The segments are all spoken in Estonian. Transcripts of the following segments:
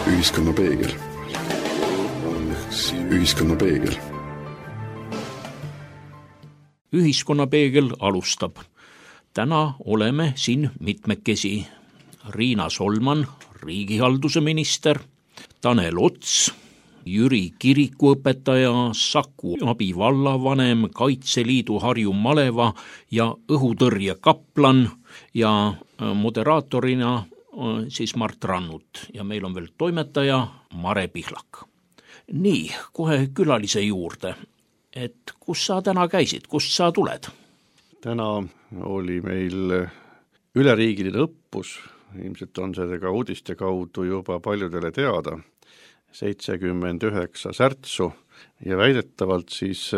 Ühiskonnapeegel. Ühiskonnapeegel. Ühiskonnapeegel alustab. Täna oleme siin mitmekesi. Riina Solman, riigihalduse minister, Tanel Ots, Jüri kirikuõpetaja, Saku abivallavanem, Kaitseliidu Harju maleva ja õhutõrje kaplan ja moderaatorina siis Mart Rannut ja meil on veel toimetaja Mare Pihlak. Nii, kohe külalise juurde, et kus sa täna käisid, kust sa tuled? Täna oli meil üleriigiline õppus, ilmselt on see ka uudiste kaudu juba paljudele teada, 79 särtsu ja väidetavalt siis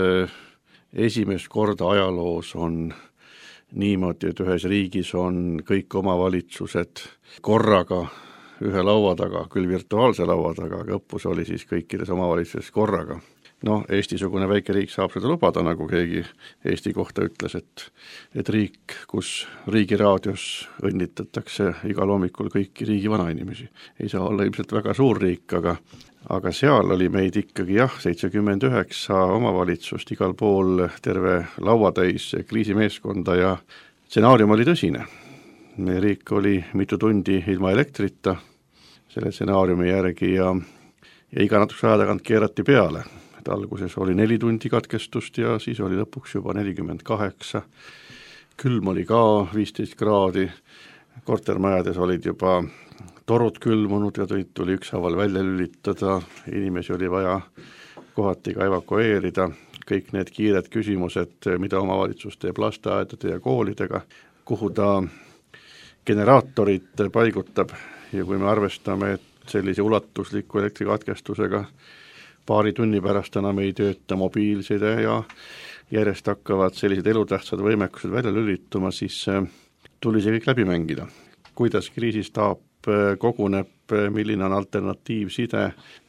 esimest korda ajaloos on niimoodi, et ühes riigis on kõik omavalitsused korraga ühe laua taga, küll virtuaalse laua taga, aga õppus oli siis kõikides omavalitsuses korraga. Eesti-sugune väike riik saab seda lubada, nagu keegi Eesti kohta ütles, et riik, kus riigiraadios õnnitatakse igal hommikul kõiki riigi vanainimesi. Ei saa olla ilmselt väga suur riik, aga seal oli meid ikkagi 79 omavalitsust, igal pool terve lauatäis kriisimeeskonda ja stsenaarium oli tõsine. Meie riik oli mitu tundi ilma elektrita selle stsenaariumi järgi ja iga natukese aja tagant keerati peale. Alguses oli 4 tundi katkestust ja siis oli lõpuks juba 48. Külm oli ka 15 kraadi, kortermajades olid juba torud külmunud ja tuli ükshaaval välja lülitada, inimesi oli vaja kohati ka evakueerida, kõik need kiired küsimused, mida omavalitsus teeb lasteaedade ja koolidega, kuhu ta generaatorid paigutab ja kui me arvestame, et sellise ulatusliku elektrikatkestusega paari tunni pärast enam ei tööta mobiilside ja järjest hakkavad sellised elutähtsad võimekused välja lülituma, siis tuli see kõik läbi mängida. Kuidas kriisistaap koguneb, milline on alternatiivside,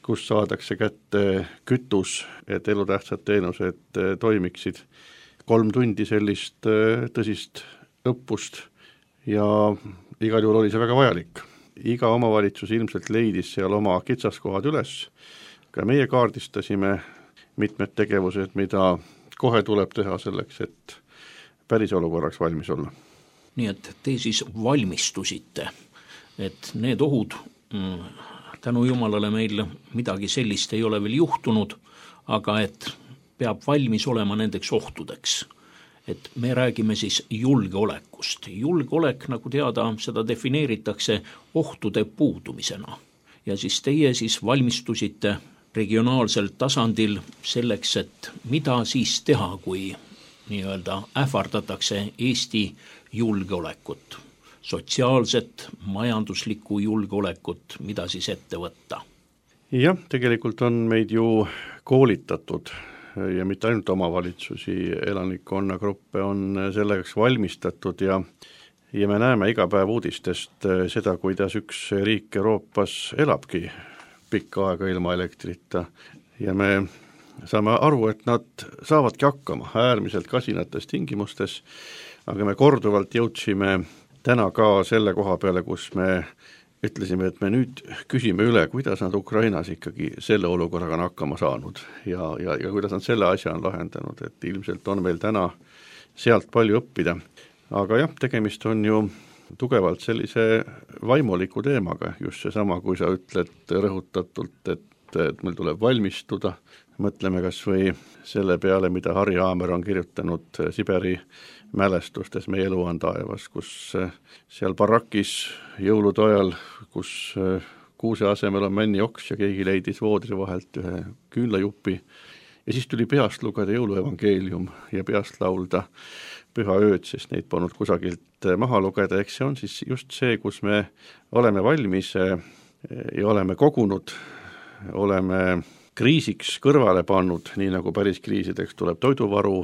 kus saadakse kätte kütus, et elutähtsad teenused toimiksid. 3 tundi sellist tõsist õppust ja igal juhul oli see väga vajalik. Iga omavalitsus ilmselt leidis seal oma kitsaskohad üles. Ka meie kaardistasime mitmed tegevused, mida kohe tuleb teha selleks, et päris olukorraks valmis olla. Nii et te siis valmistusite, et need ohud, tänu jumalale meil midagi sellist ei ole veel juhtunud, aga et peab valmis olema nendeks ohtudeks. Et me räägime siis julgeolekust. Julgeolek, nagu teada, seda defineeritakse ohtude puudumisena. Ja siis teie siis valmistusite regionaalsel tasandil selleks, et mida siis teha, kui nii-öelda ähvardatakse Eesti julgeolekut, sotsiaalset, majanduslikku julgeolekut, mida siis ette võtta? Jah, tegelikult on meid ju koolitatud ja mitte ainult omavalitsusi, elanikkonnagruppe on selleks valmistatud ja me näeme iga päev uudistest seda, kuidas üks riik Euroopas elabki pikka aega ilma elektrita ja me saame aru, et nad saavadki hakkama äärmiselt kasinates tingimustes, aga me korduvalt jõudsime täna ka selle koha peale, kus me ütlesime, et me nüüd küsime üle, kuidas nad Ukrainas ikkagi selle olukorraga on hakkama saanud ja kuidas nad selle asja on lahendanud, et ilmselt on meil täna sealt palju õppida. Aga jah, tegemist on ju tugevalt sellise vaimuliku teemaga, just seesama, kui sa ütled rõhutatult, et meil tuleb valmistuda, mõtleme kas või selle peale, mida Harri Aamer on kirjutanud Siberi mälestustes Meie elu on taevas, kus seal barakis jõulude ajal, kus kuuse asemel on männioks ja keegi leidis voodri vahelt ühe küünlajupi ja siis tuli peast lugeda jõuluevangeelium ja peast laulda püha ööd, sest neid polnud kusagilt maha lugeda, eks see on siis just see, kus me oleme valmis ja oleme kogunud, oleme kriisiks kõrvale pannud, nii nagu päris kriisideks tuleb toiduvaru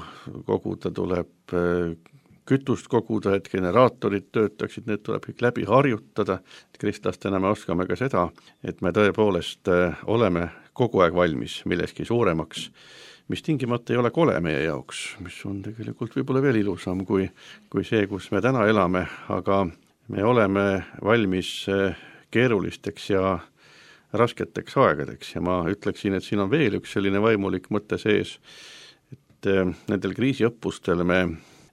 koguda, tuleb kütust koguda, et generaatorid töötaksid, need tuleb kõik läbi harjutada. Kristlastena me oskame ka seda, et me tõepoolest oleme kogu aeg valmis milleski suuremaks, mis tingimata ei ole kole meie jaoks, mis on tegelikult võib-olla veel ilusam kui see, kus me täna elame, aga me oleme valmis keerulisteks ja rasketeks aegadeks ja ma ütleksin, et siin on veel üks selline vaimulik mõte sees, et nendel kriisiõppustel me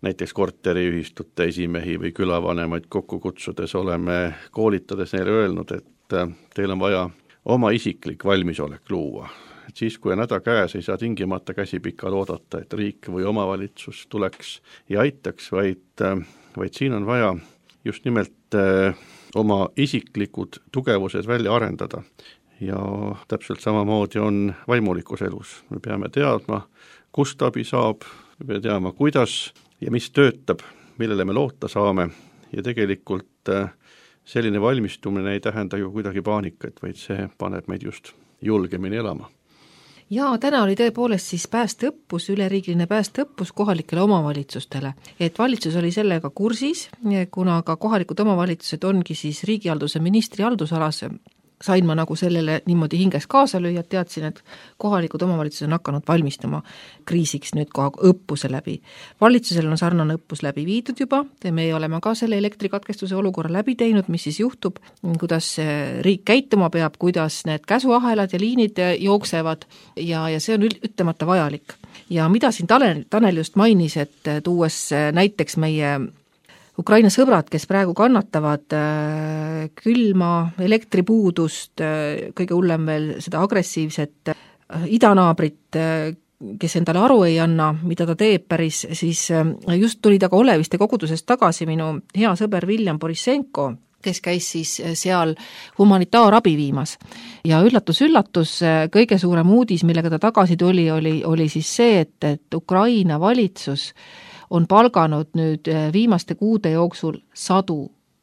näiteks korteriühistute esimehi või külavanemaid kokku kutsudes oleme koolitades neile öelnud, et teil on vaja oma isiklik valmisolek luua. Et siis, kui on häda käes, ei saa tingimata käsipikal oodata, et riik või omavalitsus tuleks ja aitaks, vaid siin on vaja just nimelt oma isiklikud tugevused välja arendada. Ja täpselt samamoodi on vaimulikus elus. Me peame teadma, kust abi saab, me peame teadma, kuidas ja mis töötab, millele me loota saame ja tegelikult selline valmistumine ei tähenda ju kuidagi paanikat, vaid see paneb meid just julgemini elama. Jaa, täna oli tõepoolest siis päästeõppus, üleriigiline päästeõppus kohalikele omavalitsustele. Et valitsus oli sellega kursis, kuna ka kohalikud omavalitsused ongi siis riigihalduse ministri haldusalas, sain ma nagu sellele niimoodi hinges kaasa lüüa, teadsin, et kohalikud omavalitsused on hakanud valmistama kriisiks nüüd kohe õppuse läbi. Valitsusel on sarnane õppus läbi viidud juba, me oleme ka selle elektrikatkestuse olukorra läbi teinud, mis siis juhtub, kuidas riik käituma peab, kuidas need käsuahelad ja liinid jooksevad ja see on ütlemata vajalik. Ja mida siin Tanel just mainis, et tuues näiteks meie Ukraina sõbrad, kes praegu kannatavad külma, elektripuudust, kõige hullem veel seda agressiivset idanaabrit, kes endale aru ei anna, mida ta teeb päris, siis just tuli ta ka Oleviste kogudusest tagasi minu hea sõber Viljan Borisenko, kes käis siis seal humanitaarabi viimas. Ja üllatus, kõige suurem uudis, millega ta tagasi tuli, oli siis see, et Ukraina valitsus on palganud nüüd viimaste kuude jooksul 100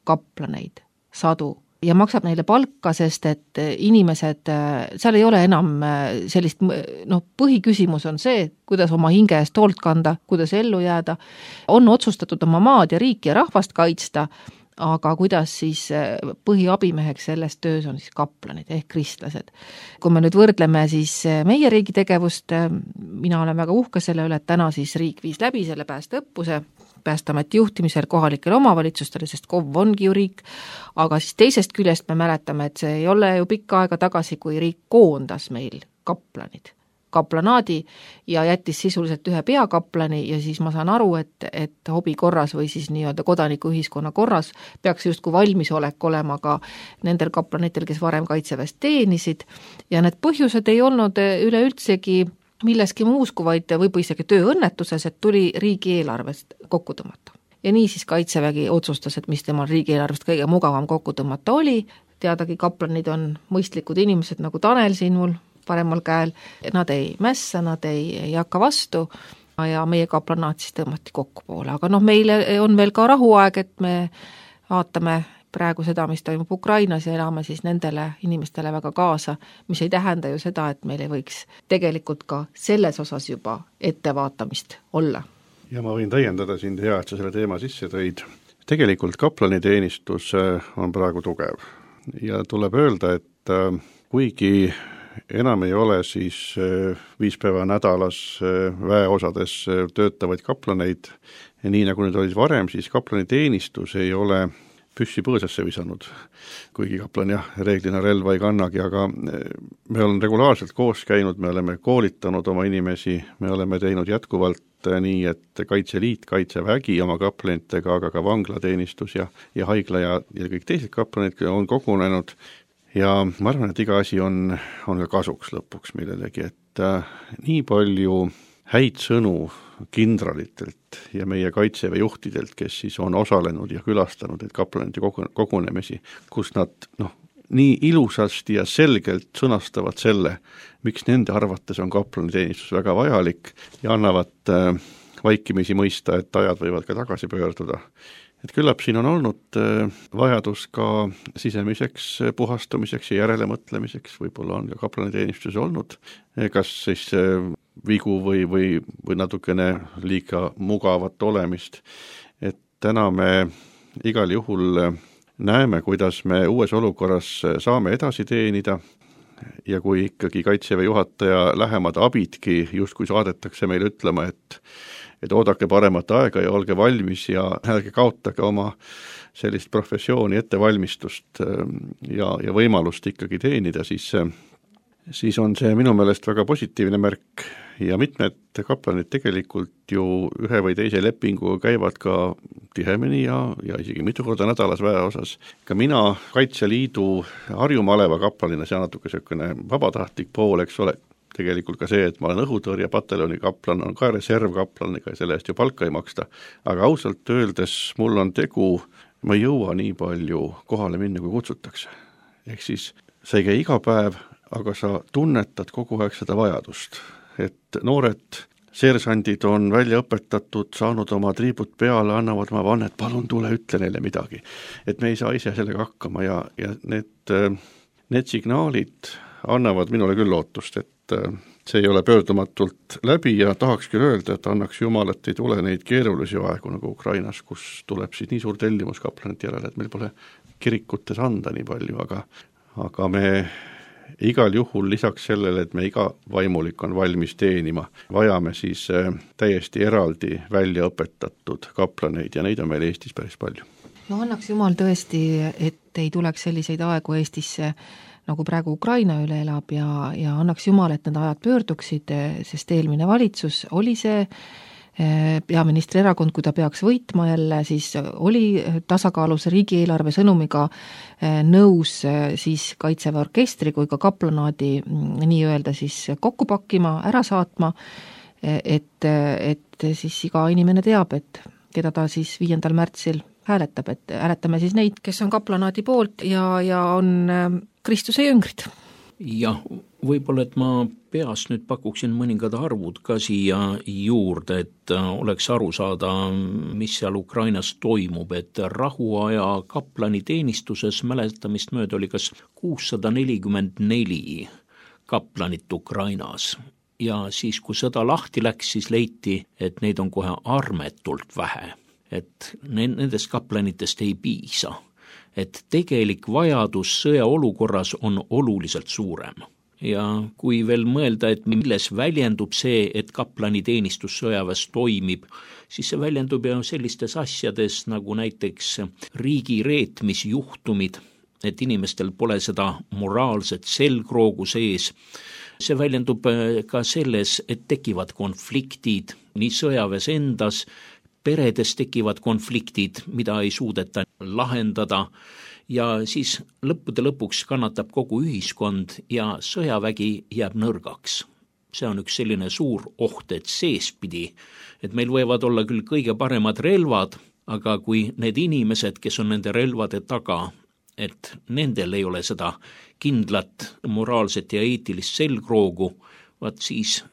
kaplaneid, 100, ja maksab neile palka, sest et inimesed, seal ei ole enam sellist, põhiküsimus on see, kuidas oma hinge eest hoolt kanda, kuidas ellu jääda, on otsustatud oma maad ja riiki ja rahvast kaitsta, aga kuidas siis põhiabimeheks selles töös on siis kaplanid ehk kristlased. Kui me nüüd võrdleme siis meie riigi tegevust, mina olen väga uhke selle üle, et täna siis riik viis läbi selle päästeõppuse, Päästeameti juhtimisel kohalikele omavalitsustele, sest KOV ongi ju riik, aga siis teisest küljest me mäletame, et see ei ole ju pikka aega tagasi, kui riik koondas meil kaplanaadi ja jättis sisuliselt ühe peakaplani ja siis ma saan aru, et hobi korras või siis nii-öelda kodanikuühiskonna korras peaks justkui valmisolek olema ka nendel kaplanitel, kes varem kaitseväest teenisid ja need põhjused ei olnud üleüldsegi milleski muus kui vaid võib isegi tööõnnetuses, et tuli riigieelarvest kokku tõmmata. Ja nii siis kaitsevägi otsustas, et mis temal riigieelarvest kõige mugavam kokku tõmmata oli, teadagi kaplanid on mõistlikud inimesed nagu Tanel siin mul paremal käel, nad ei mässa, nad ei hakka vastu ja meie kaplanaat siis tõmmati kokku poole, aga meile on veel ka rahuaeg, et me vaatame praegu seda, mis toimub Ukrainas ja elame siis nendele inimestele väga kaasa, mis ei tähenda ju seda, et meil ei võiks tegelikult ka selles osas juba ettevaatamist olla. Ja ma võin täiendada sind, hea, et sa selle teema sisse tõid. Tegelikult kaplaniteenistus on praegu tugev ja tuleb öelda, et kuigi enam ei ole siis 5 päeva nädalas väeosades töötavaid kaplaneid, nii nagu need olid varem, siis kaplaniteenistus ei ole püssi põõsasse visanud, kuigi kaplan reeglina relva ei kannagi, aga me oleme regulaarselt koos käinud, me oleme koolitanud oma inimesi, me oleme teinud jätkuvalt nii, et Kaitseliit, Kaitsevägi oma kaplanitega, aga ka vanglateenistus ja haigla ja kõik teised kaplanid on kogunenud ja ma arvan, et iga asi on ka kasuks lõpuks millelegi, et nii palju häid sõnu kindralitelt ja meie kaitseväe juhtidelt, kes siis on osalenud ja külastanud neid kaplanite kogunemisi, kus nad nii ilusasti ja selgelt sõnastavad selle, miks nende arvates on kaplaniteenistus väga vajalik ja annavad vaikimisi mõista, et ajad võivad ka tagasi pöörduda. Et küllap siin on olnud vajadus ka sisemiseks puhastumiseks ja järelemõtlemiseks, võib-olla on ka kaplaniteenistus olnud, kas siis vigu või natukene liiga mugavat olemist. Et täna me igal juhul näeme, kuidas me uues olukorras saame edasi teenida ja kui ikkagi Kaitseväe juhataja lähemad abidki justkui saadetakse meile ütlema, et oodake paremat aega ja olge valmis ja ärge kaotage oma sellist professiooni ettevalmistust ja võimalust ikkagi teenida, siis on see minu meelest väga positiivne märk ja mitmed kaplanid tegelikult ju ühe või teise lepinguga käivad ka tihemini ja isegi mitu korda nädalas väeosas. Ka mina Kaitseliidu Harju maleva kaplanina, see on natuke selline vabatahtlik pool, eks ole, tegelikult ka see, et ma olen õhutõrjepataljoni kaplan, on ka reservkaplan, ega selle eest ju palka ei maksta, aga ausalt öeldes mul on tegu, ma ei jõua nii palju kohale minna, kui kutsutakse. Ehk siis sa ei käi iga päev, aga sa tunnetad kogu aeg seda vajadust, et noored seersandid on välja õpetatud, saanud oma triibud peale, annavad oma vannet, palun tule, ütle neile midagi. Et me ei saa ise sellega hakkama ja need signaalid annavad minule küll lootust, et see ei ole pöördumatult läbi ja tahaks küll öelda, et annaks Jumal, et ei tule neid keerulisi aegu nagu Ukrainas, kus tuleb siis nii suur tellimus kaplanite järele, et meil pole kirikutes anda nii palju, aga me igal juhul lisaks sellele, et me iga vaimulik on valmis teenima, vajame siis täiesti eraldi välja õpetatud kaplaneid ja neid on meil Eestis päris palju. No annaks Jumal tõesti, et ei tuleks selliseid aegu Eestisse, nagu praegu Ukraina üle elab ja annaks Jumal, et need ajad pöörduksid, sest eelmine valitsus oli see peaministri erakond, kui ta peaks võitma jälle, siis oli tasakaalus riigieelarve sõnumiga nõus siis Kaitseväe orkestri kui ka kaplanaadi nii-öelda siis kokku pakkima, ära saatma, et siis iga inimene teab, et keda ta siis 5. märtsil hääletab, et hääletame siis neid, kes on kaplanaadi poolt ja on Kristuse jüngrid. Jah, võib-olla, et ma peast nüüd pakuksin mõningad arvud ka siia juurde, et oleks aru saada, mis seal Ukrainas toimub, et rahuaja kaplani teenistuses mäletamist mööda oli kas 644 kaplanit Ukrainas ja siis, kui sõda lahti läks, siis leiti, et neid on kohe armetult vähe, et nendest kaplanitest ei piisa. Et tegelik vajadus sõjaolukorras on oluliselt suurem. Ja kui veel mõelda, et milles väljendub see, et kaplani teenistus sõjaväes toimib, siis see väljendub ju sellistes asjades nagu näiteks riigi reetmisjuhtumid, et inimestel pole seda moraalset selgroogu sees. See väljendub ka selles, et tekivad konfliktid nii sõjaväes endas, peredes tekivad konfliktid, mida ei suudeta lahendada ja siis lõppude lõpuks kannatab kogu ühiskond ja sõjavägi jääb nõrgaks. See on üks selline suur oht, et seespidi, et meil võivad olla küll kõige paremad relvad, aga kui need inimesed, kes on nende relvade taga, et nendel ei ole seda kindlat moraalset ja eetilist selgroogu, vaat siis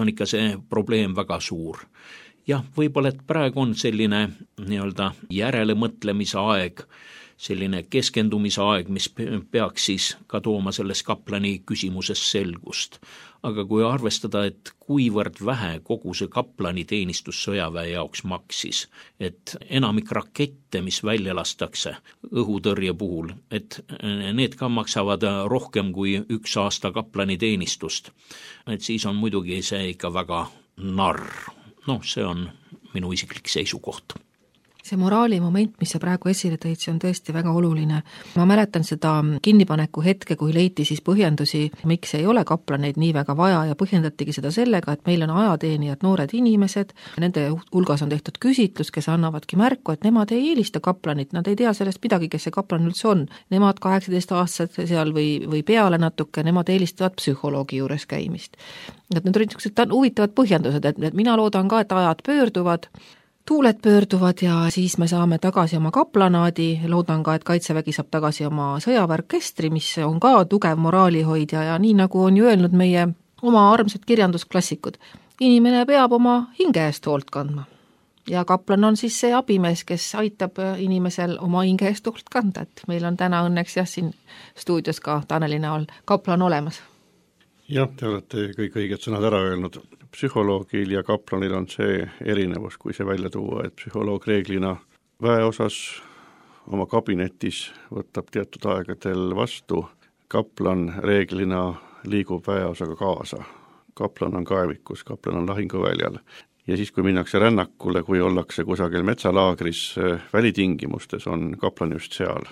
on ikka see probleem väga suur. Jah, võib-olla, et praegu on selline nii-öelda järelemõtlemise aeg, selline keskendumise aeg, mis peaks siis ka tooma selles kaplani küsimuses selgust. Aga kui arvestada, et kuivõrd vähe kogu see kaplani teenistus sõjaväe jaoks maksis, et enamik rakette, mis välja lastakse õhutõrje puhul, et need ka maksavad rohkem kui 1 aasta kaplani teenistust, et siis on muidugi see ikka väga narr. See on minu isiklik seisukoht. See moraali moment, mis sa praegu esile tõid, see on tõesti väga oluline. Ma mäletan seda kinnipaneku hetke, kui leiti siis põhjendusi, miks ei ole kaplaneid nii väga vaja ja põhjendatigi seda sellega, et meil on ajateenijad noored inimesed, nende hulgas on tehtud küsitlus, kes annavadki märku, et nemad ei eelista kaplanit, nad ei tea sellest midagi, kes see kaplan üldse on. Nemad 18-aastased seal või peale natuke, nemad eelistavad psühholoogi juures käimist. Et need olid huvitavad põhjendused, et mina loodan ka, et ajad pöörduvad, tuuled pöörduvad ja siis me saame tagasi oma kaplanaadi, loodan ka, et Kaitsevägi saab tagasi oma sõjaväeorkestri, mis on ka tugev moraalihoidja ja nii nagu on ju öelnud meie oma armsad kirjandusklassikud, inimene peab oma hinge eest hoolt kandma. Ja kaplan on siis see abimees, kes aitab inimesel oma hinge eest hoolt kanda, et meil on täna õnneks siin stuudios ka Taneli näol kaplan olemas. Jah, te olete kõik õiged sõnad ära öelnud. Psühholoogil ja kaplanil on see erinevus, kui see välja tuua, et psühholoog reeglina väeosas oma kabinetis võtab teatud aegadel vastu, kaplan reeglina liigub väeosaga kaasa. Kaplan on kaevikus, kaplan on lahinguväljal ja siis, kui minnakse rännakule, kui ollakse kusagil metsalaagris välitingimustes, on kaplane just seal,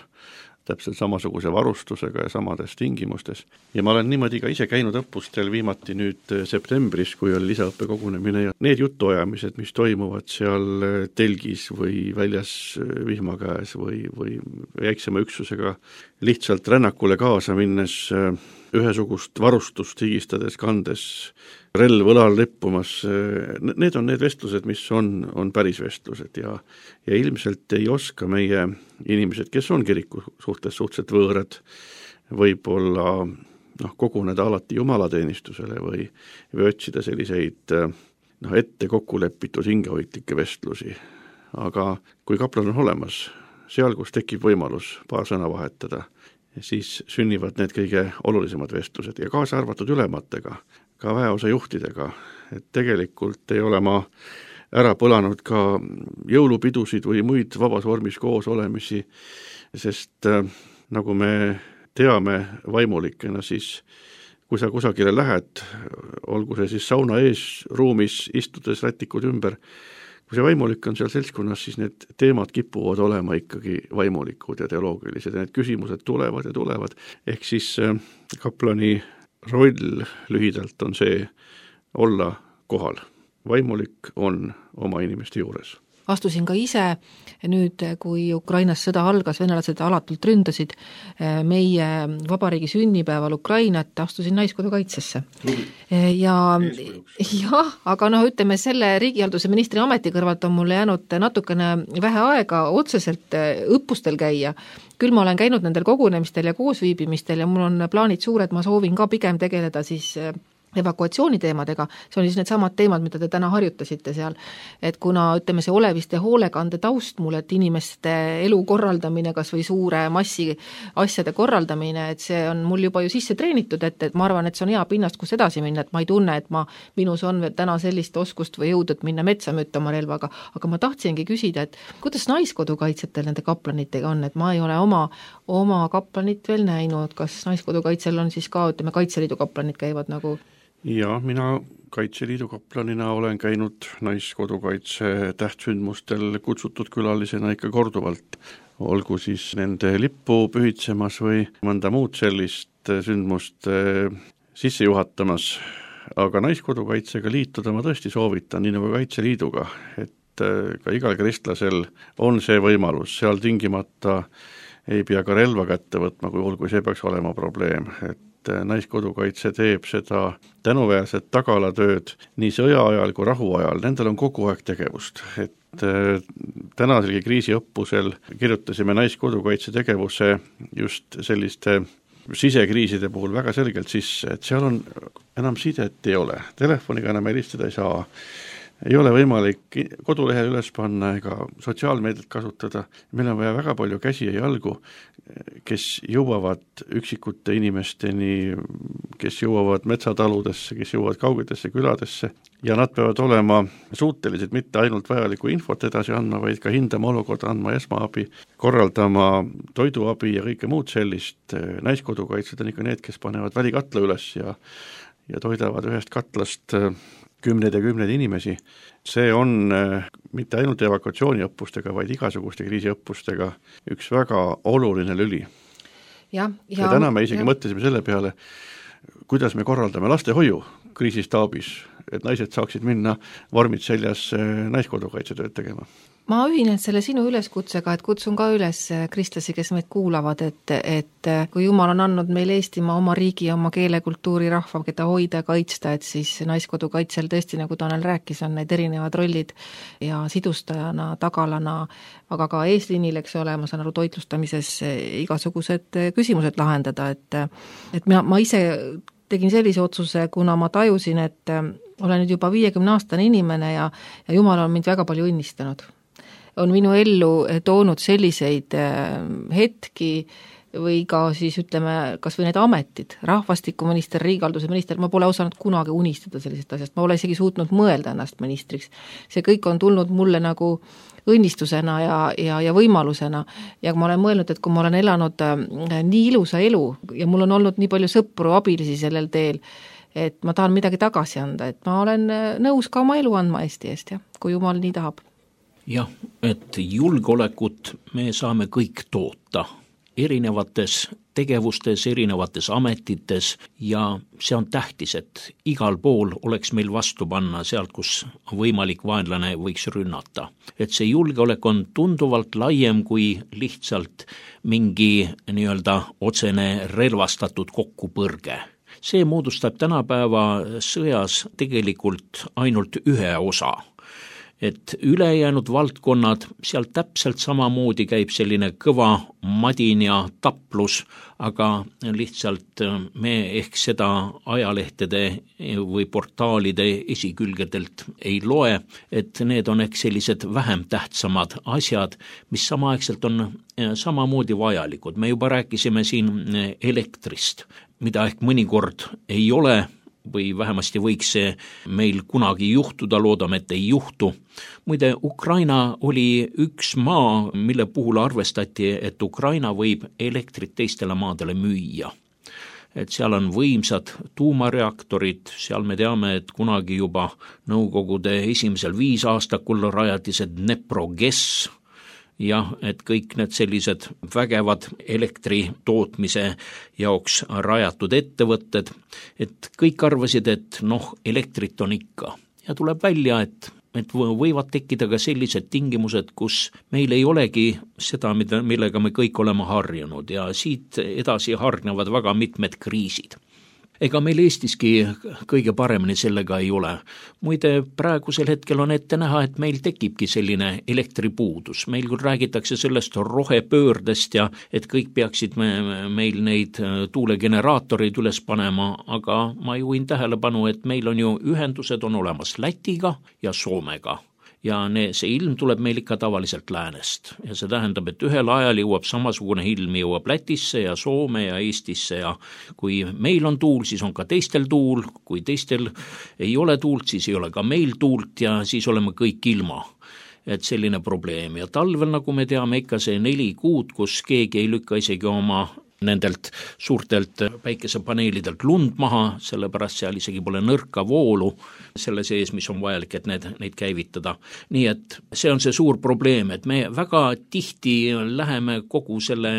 täpselt samasuguse varustusega ja samades tingimustes. Ja ma olen niimoodi ka ise käinud õppustel viimati nüüd septembris, kui oli lisaõppekogunemine ja need jutuajamised, mis toimuvad seal telgis või väljas vihma käes või väiksema üksusega lihtsalt rännakule kaasa minnes, ühesugust varustust higistades, kandes, relv õlal lippumas, need on need vestlused, mis on päris vestlused ja ilmselt ei oska meie inimesed, kes on kiriku suhtes suhteliselt võõrad, võib-olla koguneda alati jumalateenistusele või otsida selliseid ette kokku lepitud hingehoidlikke vestlusi. Aga kui kaplan on olemas, seal, kus tekib võimalus paar sõna vahetada, siis sünnivad need kõige olulisemad vestlused ja kaasa arvatud ülematega, ka väeosa juhtidega, et tegelikult ei ole ma ära põlanud ka jõulupidusid või muid vabas vormis koos olemisi, sest nagu me teame vaimulikena, siis kui sa kusagile lähed, olgu see siis sauna ees ruumis istudes rätikud ümber, kui see vaimulik on seal seltskonnas, siis need teemad kipuvad olema ikkagi vaimulikud ja teoloogilised ja need küsimused tulevad ja tulevad. Ehk siis kaplani roll lühidalt on see olla kohal. Vaimulik on oma inimeste juures. Astusin ka ise nüüd, kui Ukrainas sõda algas, venelased alatult ründasid meie vabariigi sünnipäeval Ukrainat, astusin naiskodukaitsesse. Aga ütleme, selle riigihalduse ministri ameti kõrvalt on mulle jäänud natukene vähe aega otseselt õppustel käia. Küll ma olen käinud nendel kogunemistel ja koosviibimistel ja mul on plaanid suured, ma soovin ka pigem tegeleda siis evakuatsiooniteemadega, see on siis need samad teemad, mida te täna harjutasite seal, et kuna ütleme see oleviste hoolekande taust mul, et inimeste elu korraldamine, kas või suure massi asjade korraldamine, et see on mul juba ju sisse treenitud, et ma arvan, et see on hea pinnast, kus edasi minna, et ma ei tunne, et minus on täna sellist oskust või jõudu, et minna metsa mütta oma relvaga, aga ma tahtsingi küsida, et kuidas naiskodukaitsetel nende kaplanitega on, et ma ei ole oma kaplanit veel näinud, kas naiskodukaitsel on siis ka, ütleme, Kaitseliidu kaplanid käivad nagu ja mina Kaitseliidu kaplanina olen käinud naiskodukaitse tähtsündmustel kutsutud külalisena ikka korduvalt, olgu siis nende lippu pühitsemas või mõnda muud sellist sündmust sisse juhatamas, aga naiskodukaitsega liituda ma tõesti soovitan, nii nagu Kaitseliiduga, et ka igal kristlasel on see võimalus, seal tingimata ei pea ka relva kätte võtma, kui see peaks olema probleem, et naiskodukaitse teeb seda tänuväärset tagalatööd nii sõja ajal kui rahu ajal, nendel on kogu aeg tegevust, et tänaselgi kriisiõppusel kirjutasime naiskodukaitse tegevuse just selliste sisekriiside puhul väga selgelt sisse, et seal on enam sidet ei ole, telefoniga enam helistada ei saa, ei ole võimalik kodulehel üles panna ega sotsiaalmeediat kasutada, meil on vaja väga palju käsi ja jalgu, kes jõuavad üksikute inimesteni, kes jõuavad metsataludesse, kes jõuavad kaugetesse küladesse ja nad peavad olema suutelised mitte ainult vajalikku infot edasi andma, vaid ka hindama olukorda, andma esmaabi, korraldama toiduabi ja kõike muud sellist. Naiskodukaitsed on ikka need, kes panevad välikatla üles ja toidavad ühest katlast kümneid ja kümneid inimesi. See on mitte ainult evakuatsiooniõppustega, vaid igasuguste kriisiõppustega üks väga oluline lüli. Ja täna me isegi mõtlesime selle peale, kuidas me korraldame lastehoiu kriisistaabis, et naised saaksid minna vormid seljas naiskodukaitsetööd tegema. Ma ühinen selle sinu üleskutsega, et kutsun ka üles kristlasi, kes meid kuulavad, et kui Jumal on andnud meil Eestimaa oma riigi, oma keele, kultuuri, rahva, keda hoida ja kaitsta, et siis naiskodukaitsel tõesti, nagu Tanel rääkis, on need erinevad rollid ja sidustajana, tagalana, aga ka eesliinil, eks ole, ma saan aru, toitlustamises igasugused küsimused lahendada, et ma ise tegin sellise otsuse, kuna ma tajusin, et olen nüüd juba 50-aastane inimene ja Jumal on mind väga palju õnnistanud. On minu ellu toonud selliseid hetki või ka siis ütleme, kas või need ametid, rahvastikuminister, riigihalduse minister, ma pole osanud kunagi unistada sellisest asjast, ma pole isegi suutnud mõelda ennast ministriks. See kõik on tulnud mulle nagu õnnistusena ja võimalusena ja ma olen mõelnud, et kui ma olen elanud nii ilusa elu ja mul on olnud nii palju sõpru, abilisi sellel teel, et ma tahan midagi tagasi anda, et ma olen nõus ka oma elu andma Eesti eest, jah, kui jumal nii tahab. Jah, et julgeolekut me saame kõik toota erinevates tegevustes, erinevates ametites ja see on tähtis, et igal pool oleks meil vastu panna sealt, kus võimalik vaenlane võiks rünnata. Et see julgeolek on tunduvalt laiem kui lihtsalt mingi nii-öelda otsene relvastatud kokkupõrge. See moodustab tänapäeva sõjas tegelikult ainult ühe osa. Et ülejäänud valdkonnad, seal täpselt samamoodi käib selline kõva madin ja taplus, aga lihtsalt me ehk seda ajalehtede või portaalide esikülgedelt ei loe, et need on ehk sellised vähem tähtsamad asjad, mis samaaegselt on samamoodi vajalikud. Me juba rääkisime siin elektrist, mida ehk mõnikord ei ole, või vähemasti võiks see meil kunagi juhtuda, loodame, et ei juhtu. Muide, Ukraina oli üks maa, mille puhul arvestati, et Ukraina võib elektrit teistele maadele müüa. Et seal on võimsad tuumareaktorid, seal me teame, et kunagi juba Nõukogude esimesel 5 aastakul rajati see Dnepro-GES, jah, et kõik need sellised vägevad elektri tootmise jaoks rajatud ettevõtted, et kõik arvasid, et elektrit on ikka. Ja tuleb välja, et võivad tekkida ka sellised tingimused, kus meil ei olegi seda, millega me kõik oleme harjunud ja siit edasi hargnevad väga mitmed kriisid. Ega meil Eestiski kõige paremini sellega ei ole. Muide, praegusel hetkel on ette näha, et meil tekibki selline elektripuudus. Meil küll räägitakse sellest rohepöördest ja et kõik peaksid meil neid tuulegeneraatoreid üles panema, aga ma juhin tähelepanu, et meil on ju ühendused on olemas Lätiga ja Soomega. Ja see ilm tuleb meil ikka tavaliselt läänest ja see tähendab, et ühel ajal jõuab samasugune ilm jõuab Lätisse ja Soome ja Eestisse ja kui meil on tuul, siis on ka teistel tuul, kui teistel ei ole tuult, siis ei ole ka meil tuult ja siis oleme kõik ilma. Et selline probleem ja talvel, nagu me teame, ikka see 4 kuud, kus keegi ei lükka isegi oma nendelt suurtelt päikesepaneelidelt lund maha, sellepärast seal isegi pole nõrka voolu selle sees, mis on vajalik, et neid käivitada. Nii et see on see suur probleem, et me väga tihti läheme kogu selle,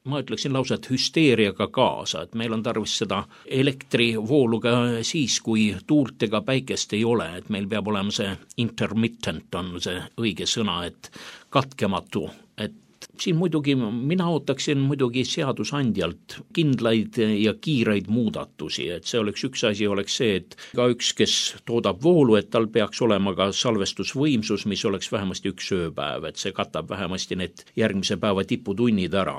ma ütleksin lausa, et hüsteeriaga kaasa, et meil on tarvis seda elektrivooluga siis, kui tuult ega päikest ei ole, et meil peab olema see intermittent on see õige sõna, et katkematu, et siin muidugi mina ootaksin muidugi seadusandjalt kindlaid ja kiireid muudatusi, et see oleks üks asi, oleks see, et ka üks, kes toodab voolu, et tal peaks olema ka salvestusvõimsus, mis oleks vähemasti 1 ööpäev, et see katab vähemasti need järgmise päeva tiputunnid ära.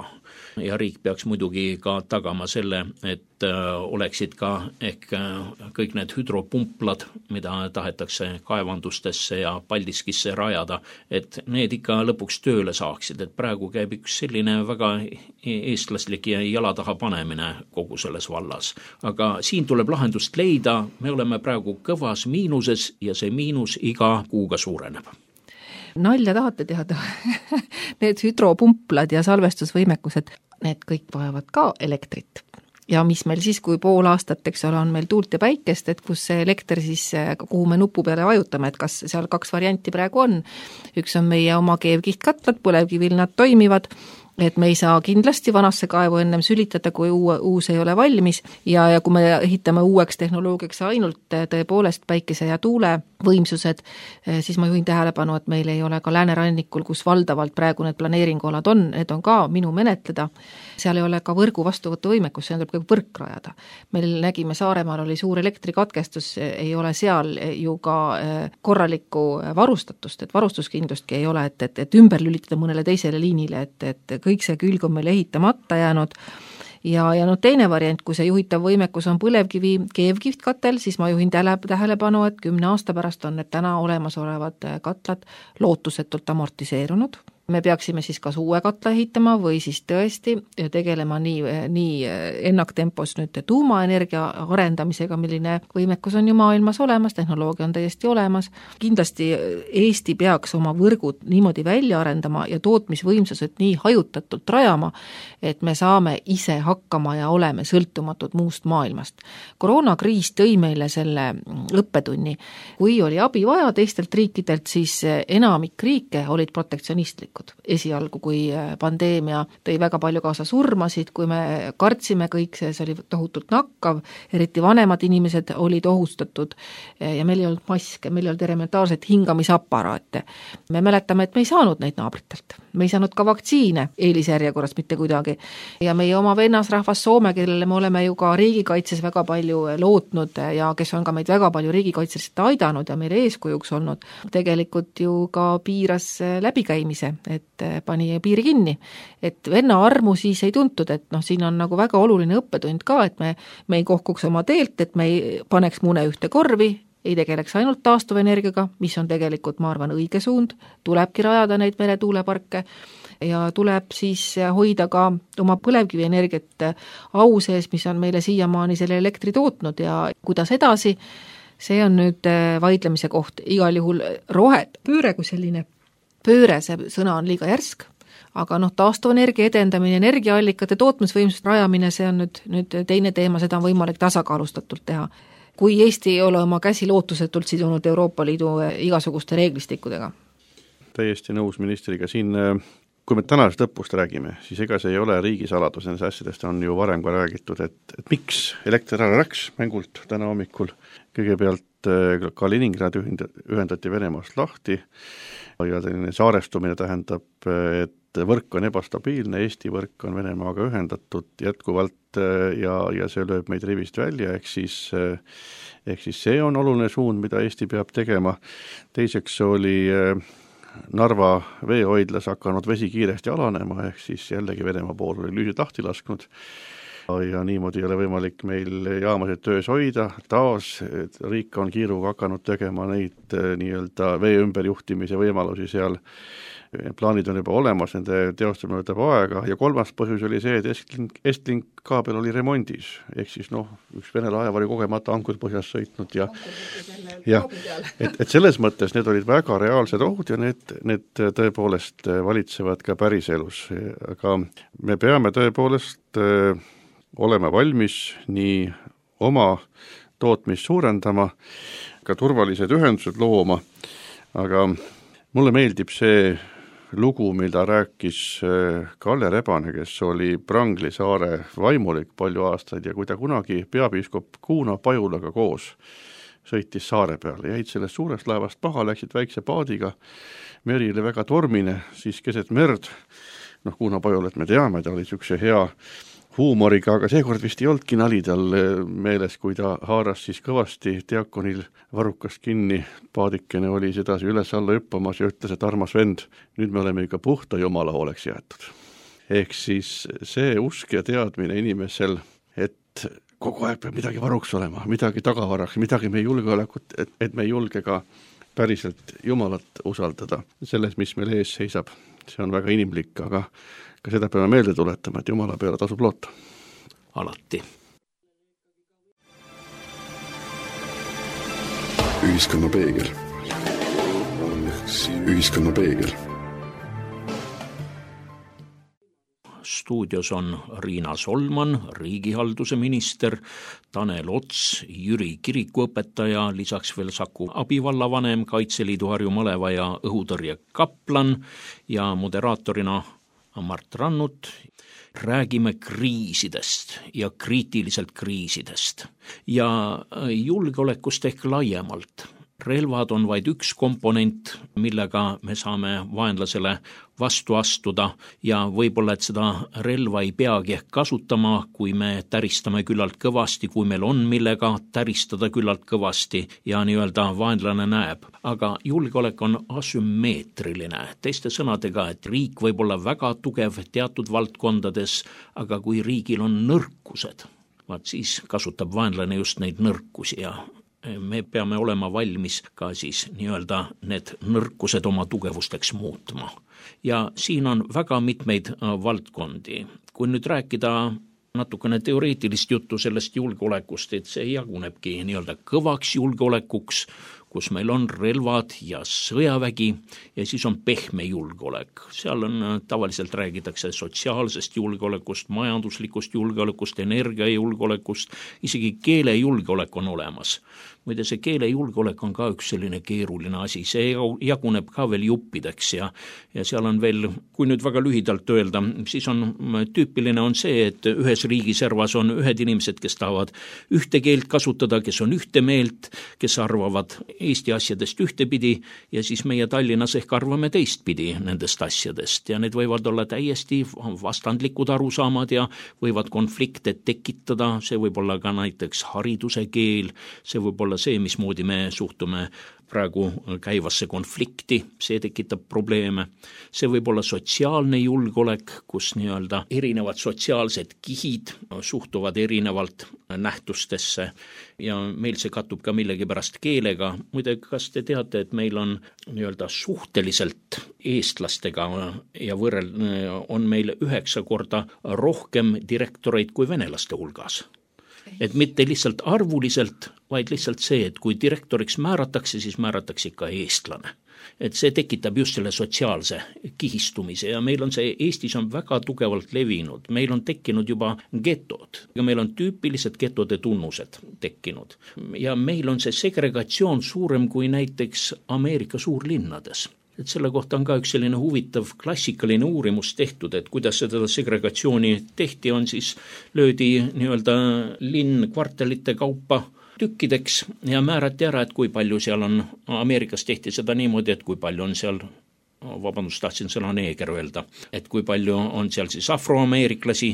Ja riik peaks muidugi ka tagama selle, et oleksid ka ehk kõik need hüdropumplad, mida tahetakse kaevandustesse ja Paldiskisse rajada, et need ikka lõpuks tööle saaksid, et praegu käib üks selline väga eestlaslik ja jala taha panemine kogu selles vallas. Aga siin tuleb lahendust leida, me oleme praegu kõvas miinuses ja see miinus iga kuuga suureneb. Nalja tahate teada? Need hüdropumplad ja salvestusvõimekused, need kõik vajavad ka elektrit. Ja mis meil siis, kui pool aastat, eks ole, on meil tuult ja päikest, et kus see elekter siis, kuhu me nupu peale vajutame, et kas seal 2 varianti praegu on. Üks on meie oma keevkihtkatlad, põlevkivil nad toimivad, et me ei saa kindlasti vanasse kaevu ennem sülitada, kui uus ei ole valmis ja kui me ehitame uueks tehnoloogiaks ainult tõepoolest päikese ja tuule võimsused, siis ma juhin tähelepanu, et meil ei ole ka läänerannikul, kus valdavalt praegu need planeeringualad on, need on ka minu menetleda. Seal ei ole ka võrgu vastuvõtuvõimekus, see tuleb ka võrk rajada. Meil nägime, Saaremaal oli suur elektrikatkestus, ei ole seal ju ka korralikku varustatust, et varustuskindlustki ei ole, et ümber lülitada mõnele teisele liinile, et kõik see külg on meil ehitamata jäänud. Ja teine variant, kui see juhitav võimekus on põlevkivi keevkihtkatel, siis ma juhin tähelepanu, et 10 aasta pärast on need täna olemasolevad katlad lootusetult amortiseerunud. me peaksime siis kas uue katla ehitama või siis tõesti tegelema nii ennaktempos nüüd tuumaenergia arendamisega, milline võimekus on ju maailmas olemas, tehnoloogia on täiesti olemas. Kindlasti Eesti peaks oma võrgud niimoodi välja arendama ja tootmisvõimsused nii hajutatult rajama, et me saame ise hakkama ja oleme sõltumatud muust maailmast. Koroonakriis tõi meile selle õppetunni. Kui oli abi vaja teistelt riikidelt, siis enamik riike olid protektsionistlikud. Esialgu, kui pandeemia tõi väga palju kaasa surmasid, kui me kartsime kõik, see oli tohutult nakkav, eriti vanemad inimesed olid ohustatud ja meil ei olnud maske, meil ei olnud elementaarset hingamisaparaate. Me mäletame, et me ei saanud neid naabritelt. Me ei saanud ka vaktsiine eelisjärjekorras mitte kuidagi. Ja meie oma vennasrahvas Soome, kellele me oleme ju ka riigikaitses väga palju lootnud ja kes on ka meid väga palju riigikaitseliselt aidanud ja meile eeskujuks olnud, tegelikult ju ka piiras läbikäimise, et pani piiri kinni. Et venna armu siis ei tuntud, et siin on nagu väga oluline õppetund ka, et me ei kohkuks oma teelt, et me ei paneks mune ühte korvi, ei tegeleks ainult taastuvenergiaga, mis on tegelikult, ma arvan, õige suund, tulebki rajada neid meretuuleparke ja tuleb siis hoida ka oma põlevkivienergiat au sees, mis on meile siiamaani selle elektri tootnud ja kuidas edasi, see on nüüd vaidlemise koht. Igal juhul rohepööre kui selline pööre, see sõna on liiga järsk, aga taastuvenergia edendamine, energiaallikate tootmisvõimsust rajamine, see on nüüd teine teema, seda on võimalik tasakaalustatult teha. Kui Eesti ei ole oma käsi lootusetult sidunud Euroopa Liidu igasuguste reeglistikudega. Täiesti nõus ministriga siin, kui me tänasest õppust räägime, siis ega see ei ole riigisaladus, nendest asjadest on ju varem ka räägitud, et miks elekter ära läks mängult täna hommikul. Kõigepealt Kaliningrad ühendati Venemaast lahti ja saarestumine tähendab, et võrk on ebastabiilne, Eesti võrk on Venemaaga ühendatud jätkuvalt ja see lööb meid rivist välja, ehk siis see on oluline suund, mida Eesti peab tegema. Teiseks oli Narva veehoidlas hakanud vesi kiiresti alanema, ehk siis jällegi Venemaa pool oli lüüsid lahti lasknud ja niimoodi ei ole võimalik meil jaamasid töös hoida. Taas riik on kiiruga hakanud tegema neid nii-öelda vee ümberjuhtimise võimalusi seal. Plaanid on juba olemas, nende teostamine võtab aega ja kolmas põhjus oli see, et Estlink kaabel oli remondis, ehk siis üks Vene laev oli kogemata ankur põhjas sõitnud ja et selles mõttes need olid väga reaalsed ohud ja need tõepoolest valitsevad ka päriselus, aga me peame tõepoolest olema valmis nii oma tootmist suurendama, ka turvalised ühendused looma, aga mulle meeldib see lugu, mida rääkis Kalle Rebane, kes oli Prangli saare vaimulik palju aastaid ja kui ta kunagi peapiiskop Kuuna Pajulaga koos sõitis saare peale, jäid sellest suurest laevast maha, läksid väikse paadiga, meri oli väga tormine, siis keset merd, Kuuna Pajulat me teame, ta oli niisuguse hea huumoriga, aga seekord vist ei olnudki nali tal meeles, kui ta haaras siis kõvasti diakonil varrukast kinni, paadikene oli sedasi üles-alla hüppamas ja ütles, et armas vend, nüüd me oleme ikka puhta Jumala hooleks jäetud. Ehk siis see usk ja teadmine inimesel, et kogu aeg peab midagi varuks olema, midagi tagavaraks, midagi meie julgeolekut, et me ei julge ka päriselt Jumalat usaldada selles, mis meil ees seisab. See on väga inimlik, aga ka seda peame meelde tuletama, et Jumala peale tasub loota. Alati. Ühiskonna peegel. Ühiskonna peegel. Stuudios on Riina Solman, riigihalduse minister, Tanel Ots, Jüri kirikuõpetaja, lisaks veel Saku abivallavanem, Kaitseliidu Harju Maleva ja õhutõrje kaplan ja moderaatorina Mart Rannut. Räägime kriisidest ja kriitiliselt kriisidest ja julgeolekust ehk laiemalt. Relvad on vaid üks komponent, millega me saame vaenlasele vastu astuda ja võib-olla, et seda relva ei peagi ehk kasutama, kui me täristame küllalt kõvasti, kui meil on millega täristada küllalt kõvasti ja nii-öelda vaenlane näeb. Aga julgeolek on asümmeetriline, teiste sõnadega, et riik võib olla väga tugev teatud valdkondades, aga kui riigil on nõrkused, siis kasutab vaenlane just neid nõrkusi ja me peame olema valmis ka siis nii-öelda need nõrkused oma tugevusteks muutma. Ja siin on väga mitmeid valdkondi. Kui nüüd rääkida natukene teoreetilist juttu sellest julgeolekust, et see jagunebki nii-öelda kõvaks julgeolekuks, kus meil on relvad ja sõjavägi ja siis on pehme julgeolek. Seal on tavaliselt räägitakse sotsiaalsest julgeolekust, majanduslikust julgeolekust, energiajulgeolekust, isegi keelejulgeolek on olemas. Muide, see keelejulgeolek on ka üks selline keeruline asi, see jaguneb ka veel juppideks ja seal on veel, kui nüüd väga lühidalt öelda, siis on tüüpiline on see, et ühes riigiservas on ühed inimesed, kes tahavad ühte keelt kasutada, kes on ühte meelt, kes arvavad Eesti asjadest ühtepidi ja siis meie Tallinnas ehk arvame teistpidi nendest asjadest ja need võivad olla täiesti vastandlikud arusaamad ja võivad konflikte tekitada, see võib olla ka näiteks hariduse keel, see võib olla see, mismoodi me suhtume praegu käivasse konflikti, see tekitab probleeme. See võib olla sotsiaalne julgeolek, kus nii-öelda erinevad sotsiaalsed kihid suhtuvad erinevalt nähtustesse ja meil see kattub ka millegipärast keelega. Muide, kas te teate, et meil on nii-öelda suhteliselt eestlastega ja on meil 9 korda rohkem direktoreid kui venelaste hulgas? Et mitte lihtsalt arvuliselt, vaid lihtsalt see, et kui direktoriks määratakse, siis määratakse ikka eestlane. Et see tekitab just selle sotsiaalse kihistumise ja meil on see, Eestis on väga tugevalt levinud. Meil on tekkinud juba getod ja meil on tüüpilised getode tunnused tekkinud. Ja meil on see segregatsioon suurem kui näiteks Ameerika suurlinnades. Et selle kohta on ka üks selline huvitav klassikaline uurimus tehtud, et kuidas seda segregatsiooni tehti, on siis löödi nii-öelda linn kvartalite kaupa tükkideks ja määrati ära, et kui palju seal on, Ameerikas tehti seda niimoodi, et kui palju on seal, tahtsin sõna neeger öelda, et kui palju on seal siis afroameeriklasi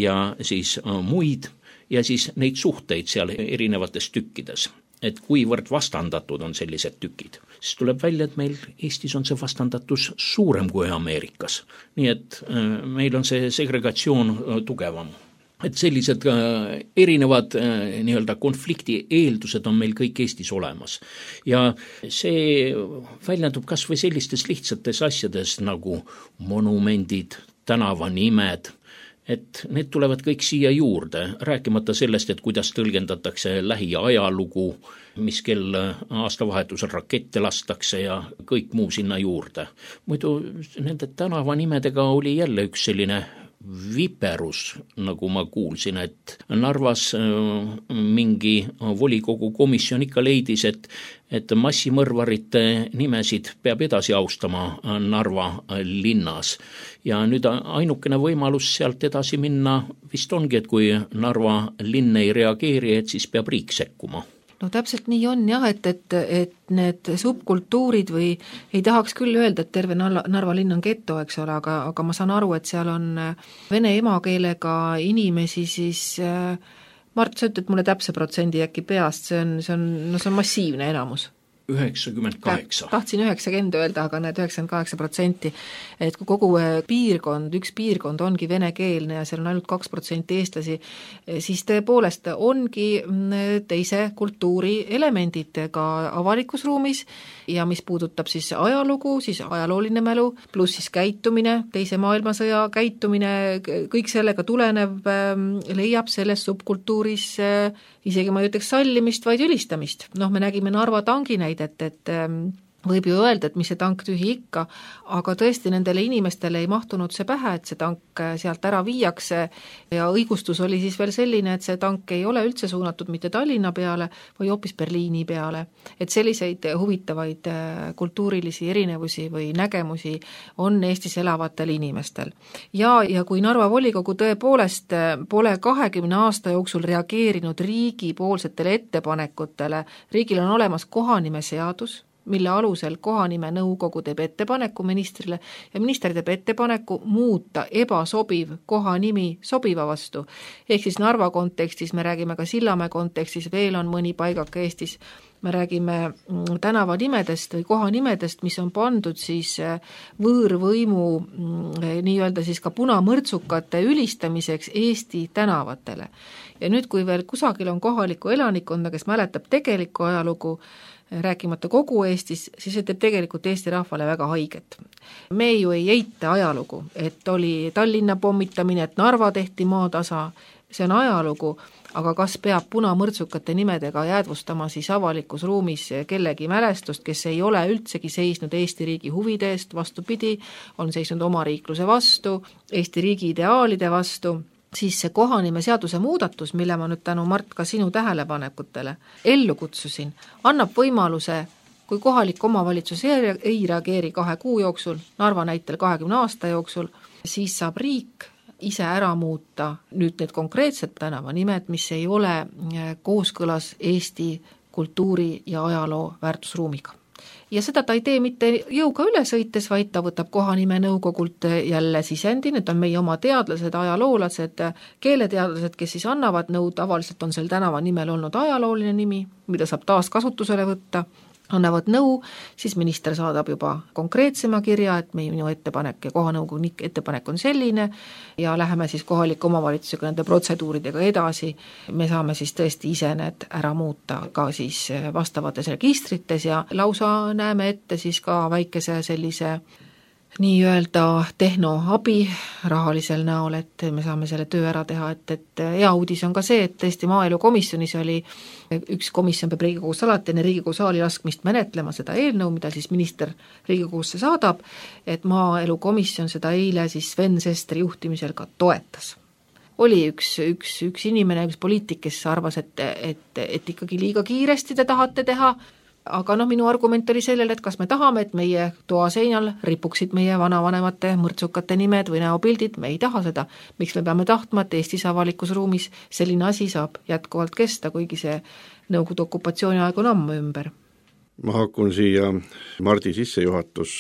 ja siis muid ja siis neid suhteid seal erinevates tükkides. Et kuivõrd vastandatud on sellised tükid. Siis tuleb välja, et meil Eestis on see vastandatus suurem kui Ameerikas. Nii et meil on see segregatsioon tugevam. Et sellised erinevad nii-öelda konflikti eeldused on meil kõik Eestis olemas. Ja see väljendub kas või sellistes lihtsates asjades nagu monumendid, tänavanimed, et need tulevad kõik siia juurde, rääkimata sellest, et kuidas tõlgendatakse lähiajalugu, mis kell aastavahetusel rakette lastakse ja kõik muu sinna juurde. Muidu nende tänavanimedega oli jälle üks selline viperus, nagu ma kuulsin, et Narvas mingi volikogu komisjon ikka leidis, et massimõrvarite nimesid peab edasi austama Narva linnas. Ja nüüd ainukene võimalus sealt edasi minna vist ongi, et kui Narva linn ei reageeri, et siis peab riik sekkuma. No täpselt nii on jah, et need subkultuurid või ei tahaks küll öelda, et terve Narva linn on geto, eks ole, aga ma saan aru, et seal on vene emakeelega inimesi, siis Mart, sa ütled mulle täpse protsendi äkki peast, see on massiivne enamus. 98. Tahtsin 90 öelda, aga need 98%, et kui kogu üks piirkond ongi venekeelne ja seal on ainult 2% eestlasi, siis tõepoolest ongi teise kultuuri elemendid ka avalikus ruumis ja mis puudutab siis ajalugu, siis ajalooline mälu, pluss siis käitumine, teise maailmasõja käitumine, kõik sellega tulenev leiab selles subkultuuris isegi ma ei ütleks sallimist, vaid ülistamist. Me nägime Narva tangi näidet, et võib ju öelda, et mis see tank tühi ikka, aga tõesti nendele inimestele ei mahtunud see pähe, et see tank sealt ära viiakse ja õigustus oli siis veel selline, et see tank ei ole üldse suunatud mitte Tallinna peale, või hoopis Berliini peale. Et selliseid huvitavaid kultuurilisi erinevusi või nägemusi on Eestis elavatel inimestel. Ja kui Narva volikogu tõepoolest pole 20 aasta jooksul reageerinud riigi poolsetele ettepanekutele, riigil on olemas kohanimeseadus, mille alusel kohanimenõukogu teeb ettepaneku ministrile ja minister teeb ettepaneku muuta ebasobiv kohanimi sobiva vastu. Ehk siis Narva kontekstis, me räägime ka Sillamäe kontekstis, veel on mõni paigake Eestis, me räägime tänavanimedest või kohanimedest, mis on pandud siis võõrvõimu nii-öelda siis ka punamõrtsukate ülistamiseks Eesti tänavatele. Ja nüüd, kui veel kusagil on kohaliku elanikkonda, kes mäletab tegelikku ajalugu, rääkimata kogu Eestis, siis see teeb tegelikult Eesti rahvale väga haiget. Me ju ei eita ajalugu, et oli Tallinna pommitamine, et Narva tehti maatasa, see on ajalugu, aga kas peab punamõrtsukate nimedega jäädvustama siis avalikus ruumis kellegi mälestust, kes ei ole üldsegi seisnud Eesti riigi huvide eest, vastupidi, on seisnud oma riikluse vastu, Eesti riigi ideaalide vastu, siis see kohanime seaduse muudatus, mille ma nüüd tänu Mart ka sinu tähelepanekutele ellu kutsusin, annab võimaluse, kui kohalik omavalitsus ei reageeri 2 kuu jooksul, Narva näitel 20 aasta jooksul, siis saab riik ise ära muuta nüüd need konkreetsed tänavanimed, mis ei ole kooskõlas Eesti kultuuri ja ajaloo väärtusruumiga. Ja seda ta ei tee mitte jõuga üle sõites, vaid ta võtab kohanimenõukogult jälle sisendi, need on meie oma teadlased, ajaloolased, keeleteadlased, kes siis annavad nõu, tavaliselt on sel tänava nimel olnud ajalooline nimi, mida saab taas kasutusele võtta, annavad nõu, siis minister saadab juba konkreetsema kirja, et minu ettepanek ja kohanõukogu ettepanek on selline ja läheme siis kohaliku omavalitsusega nende protseduuridega edasi. Me saame siis tõesti ise need ära muuta ka siis vastavates registrites ja lausa näeme ette siis ka väikese sellise nii-öelda tehnoabi rahalisel näol, et me saame selle töö ära teha, et hea uudis on ka see, et tõesti maaelukomisjonis oli üks komisjon peab Riigikogus alati enne Riigikogu saali laskmist menetlema seda eelnõu, mida siis minister Riigikogusse saadab, et maaelukomisjon seda eile siis Sven Sesteri juhtimisel ka toetas. Oli üks inimene, üks poliitik, kes arvas, et ikkagi liiga kiiresti te tahate teha, aga minu argument oli sellele, et kas me tahame, et meie toaseinal ripuksid meie vanavanemate mõrtsukate nimed või näopildid, me ei taha seda. Miks me peame tahtma, et Eestis avalikus ruumis selline asi saab jätkuvalt kesta, kuigi see Nõukogude okupatsiooni aeg on ammu ümber? Ma hakkun siia Mardi sissejuhatus,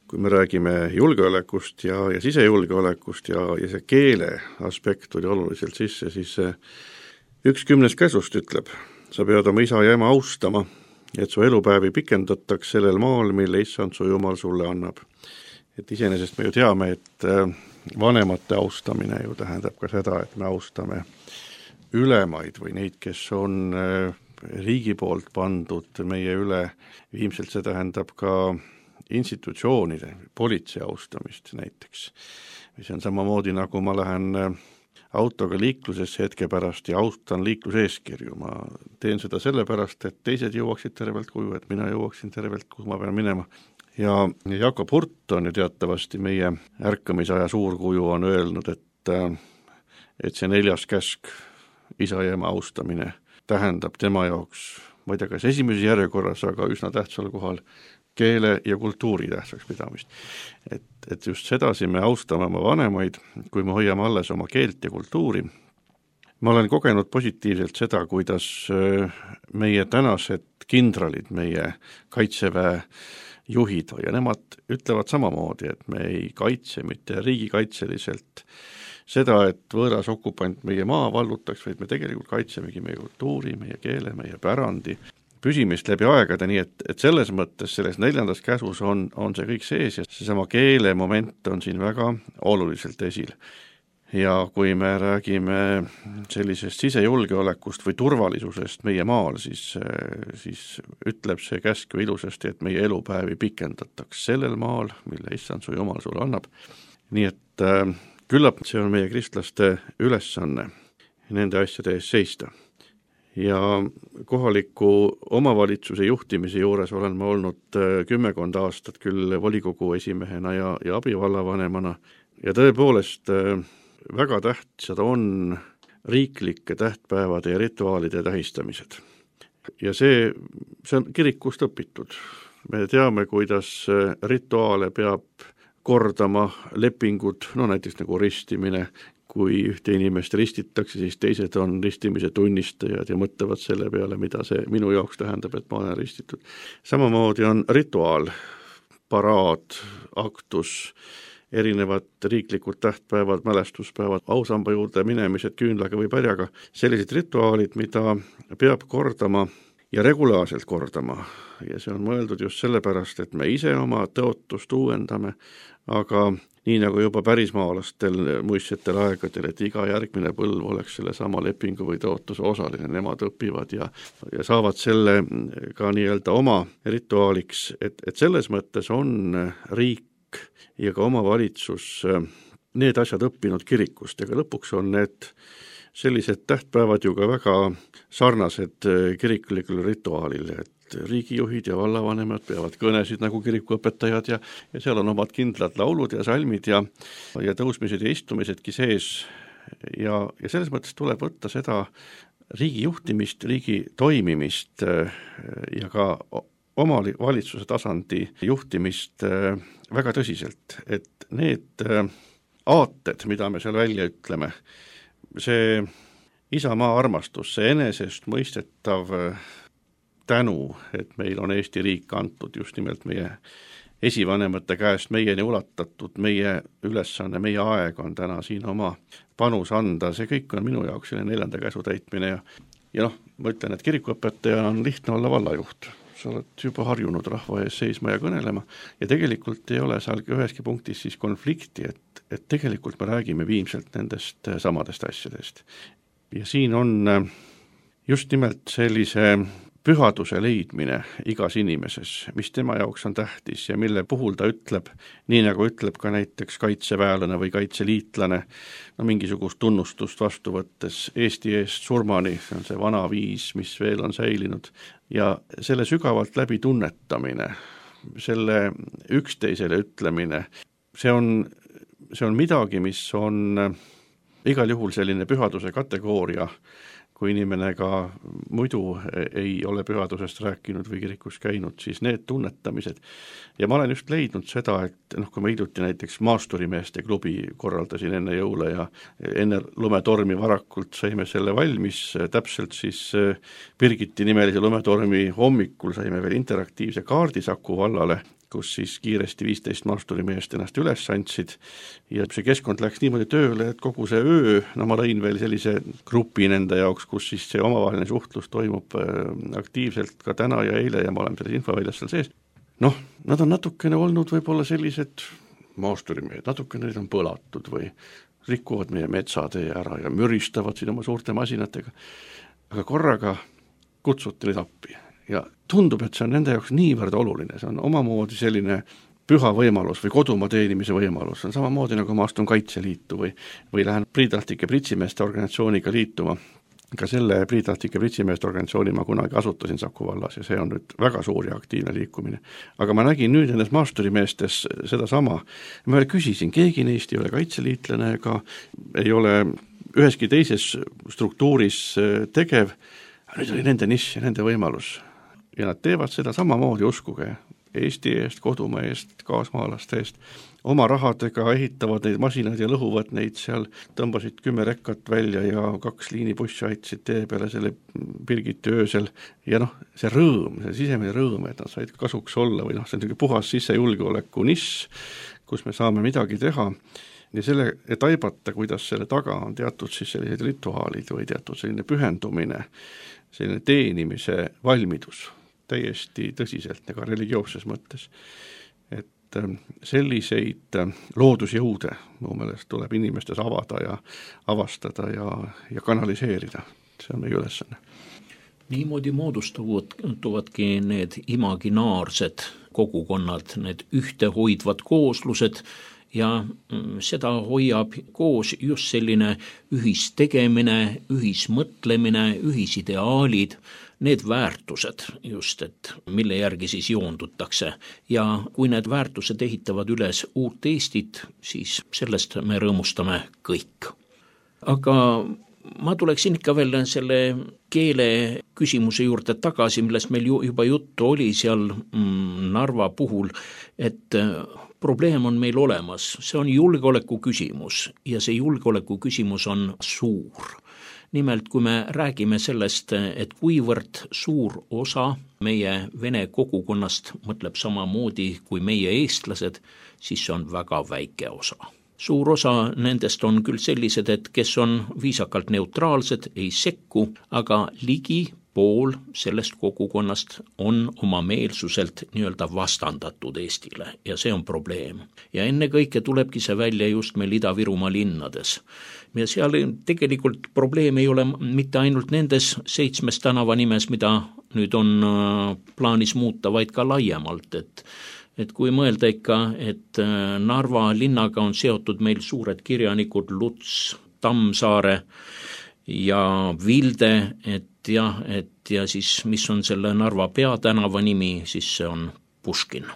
kui me räägime julgeolekust ja sisejulgeolekust ja see keele aspekt oli oluliselt sisse, siis 1/10 käsust ütleb, sa pead oma isa ja ema austama, et su elupäevi pikendataks sellel maal, mille issand su Jumal sulle annab. Et iseenesest me ju teame, et vanemate austamine ju tähendab ka seda, et me austame ülemaid või neid, kes on riigi poolt pandud meie üle. Viimselt see tähendab ka institutsioonide, politsei austamist näiteks. See on samamoodi, nagu ma lähen autoga liiklusesse hetke pärast ja austan liikluseeskirju. Ma teen seda sellepärast, et teised jõuaksid tervelt koju, et mina jõuaksin tervelt, kuhu ma pean minema. Ja Jakob Hurt on ju teatavasti meie ärkamisaja suurkuju on öelnud, et see 4. käsk, isa ja ema austamine, tähendab tema jaoks, ma ei tea, kas esimeses järjekorras, aga üsna tähtsal kohal keele ja kultuuri tähtsaks pidamist. Et just sedasi me austame oma vanemaid, kui me hoiame alles oma keelt ja kultuuri. Ma olen kogenud positiivselt seda, kuidas meie tänased kindralid, meie kaitseväe juhid ja nemad ütlevad samamoodi, et me ei kaitse mitte riigikaitseliselt seda, et võõras okupant meie maa vallutaks, vaid me tegelikult kaitsemegi meie kultuuri, meie keele, meie pärandi püsimist läbi aegade, nii et selles mõttes selles 4. käsus on see kõik sees ja seesama keele moment on siin väga oluliselt esil. Ja kui me räägime sellisest sisejulgeolekust või turvalisusest meie maal, siis ütleb see käsk ju ilusasti, et meie elupäevi pikendataks sellel maal, mille issand su Jumal sulle annab. Nii et küllap see on meie kristlaste ülesanne nende asjade ees seista. Ja kohaliku omavalitsuse juhtimise juures olen ma olnud 10 aastat küll volikogu esimehena ja abivallavanemana ja tõepoolest väga tähtsad on riiklike tähtpäevade ja rituaalide tähistamised. Ja see on kirikust õpitud. Me teame, kuidas rituaale peab kordama lepingud, näiteks nagu ristimine, kui ühte inimest ristitakse, siis teised on ristimise tunnistajad ja mõtlevad selle peale, mida see minu jaoks tähendab, et ma olen ristitud. Samamoodi on rituaal, paraad, aktus, erinevad riiklikud tähtpäevad, mälestuspäevad, ausamba juurde minemised küünlaga või pärjaga, sellised rituaalid, mida peab kordama ja regulaarselt kordama. Ja see on mõeldud just sellepärast, et me ise oma tõotust uuendame, aga nii nagu juba pärismaalastel muistsetel aegadel, et iga järgmine põlv oleks selle sama lepingu või tõotuse osaline, nemad õpivad ja saavad selle ka nii-öelda oma rituaaliks, et selles mõttes on riik ja ka omavalitsus need asjad õppinud kirikust, ega lõpuks on need sellised tähtpäevad ju ka väga sarnased kirikulikule rituaalile, et riigijuhid ja vallavanemad peavad kõnesid nagu kirikuõpetajad ja seal on omad kindlad laulud ja salmid ja tõusmised ja istumisedki sees ja selles mõttes tuleb võtta seda riigi juhtimist, riigi toimimist ja ka omavalitsuse tasandi juhtimist väga tõsiselt, et need aated, mida me seal välja ütleme, see isamaa armastus, see enesest mõistetav tänu, et meil on Eesti riik antud just nimelt meie esivanemate käest meieni ulatatud, meie ülesanne, meie aeg on täna siin oma panus anda, see kõik on minu jaoks selle 4. käsu täitmine ja ma ütlen, et kirikuõpetaja on lihtne olla vallajuht. Sa oled juba harjunud rahva ees seisma ja kõnelema ja tegelikult ei ole seal üheski punktis siis konflikti, et tegelikult me räägime viimselt nendest samadest asjadest. Ja siin on just nimelt sellise pühaduse leidmine igas inimeses, mis tema jaoks on tähtis ja mille puhul ta ütleb, nii nagu ütleb ka näiteks kaitseväelane või kaitseliitlane, mingisugust tunnustust vastu võttes Eesti eest surmani, see on see vana viis, mis veel on säilinud, ja selle sügavalt läbi tunnetamine, selle üksteisele ütlemine, see on midagi, mis on igal juhul selline pühaduse kategooria, kui inimene ka muidu ei ole pühadusest rääkinud või kirikus käinud, siis need tunnetamised. Ja ma olen just leidnud seda, et kui ma hiljuti näiteks maasturimeeste klubi korraldasin enne jõule ja enne lumetormi varakult saime selle valmis, täpselt siis Birgiti nimelise lumetormi hommikul saime veel interaktiivse kaardi Saku vallale, kus siis kiiresti 15 maasturimeest ennast üles andsid ja see keskkond läks niimoodi tööle, et kogu see öö, ma lõin veel sellise grupi nende jaoks, kus siis see omavaheline suhtlus toimub aktiivselt ka täna ja eile ja ma olen selles infoväljas seal sees. Nad on natukene olnud võib-olla sellised maasturimehed, natukene need on põlatud või rikuvad meie metsatee ära ja müristavad siin oma suurte masinatega, aga korraga kutsuti neid appi. Ja tundub, et see on nende jaoks niivõrd oluline, see on omamoodi selline püha võimalus või kodumaa teenimise võimalus, see on samamoodi nagu ma astun Kaitseliitu või lähen priidrahtike pritsimeeste organisatsiooniga liituma. Ka selle priidrahtike pritsimeeste organisatsiooni ma kunagi asutasin Saku vallas ja see on nüüd väga suur ja aktiivne liikumine. Aga ma nägin nüüd nendes maasturimeestes seda sama, ma küsisin, keegi neist ei ole kaitseliitlane ega ei ole üheski teises struktuuris tegev, nüüd oli nende nišš ja nende võimalus. Ja nad teevad seda samamoodi, uskuge, Eesti eest, kodumaa eest, kaasmaalaste eest, oma rahadega ehitavad neid masinaid ja lõhuvad neid seal, tõmbasid 10 rekkat välja ja 2 liinibussi aitasid tee peale selle Birgiti öösel ja see rõõm, see sisemine rõõm, et nad said kasuks olla või see on puhas sissejulgeoleku nišš, kus me saame midagi teha ja selle, et aibata, kuidas selle taga on teatud siis sellised rituaalid või teatud selline pühendumine, selline teenimise valmidus täiesti tõsiselt ja ka religioosses mõttes. Et selliseid loodusjõude mu meelest tuleb inimestes avada ja avastada ja kanaliseerida. See on meie ülesanne. Niimoodi moodustuvadki need imaginaarsed kogukonnad, need ühtehoidvad kooslused ja seda hoiab koos just selline ühistegemine, ühismõtlemine, ühisideaalid, need väärtused just, et mille järgi siis joondutakse ja kui need väärtused ehitavad üles uut Eestit, siis sellest me rõõmustame kõik. Aga ma tuleksin ikka veel selle keele küsimuse juurde tagasi, millest meil juba juttu oli seal Narva puhul, et probleem on meil olemas, see on julgeoleku küsimus ja see julgeoleku küsimus on suur. Nimelt, kui me räägime sellest, et kuivõrd suur osa meie vene kogukonnast mõtleb samamoodi kui meie eestlased, siis see on väga väike osa. Suur osa nendest on küll sellised, et kes on viisakalt neutraalsed, ei sekku, aga ligi pool sellest kogukonnast on oma meelsuselt nii-öelda vastandatud Eestile ja see on probleem. Ja ennekõike tulebki see välja just meil Ida-Virumaa linnades. Ja seal tegelikult probleem ei ole mitte ainult nendes 7 tänavanimes, mida nüüd on plaanis muuta, vaid ka laiemalt, et kui mõelda ikka, et Narva linnaga on seotud meil suured kirjanikud Luts, Tammsaare ja Vilde, et siis mis on selle Narva peatänava nimi, siis see on Puškin.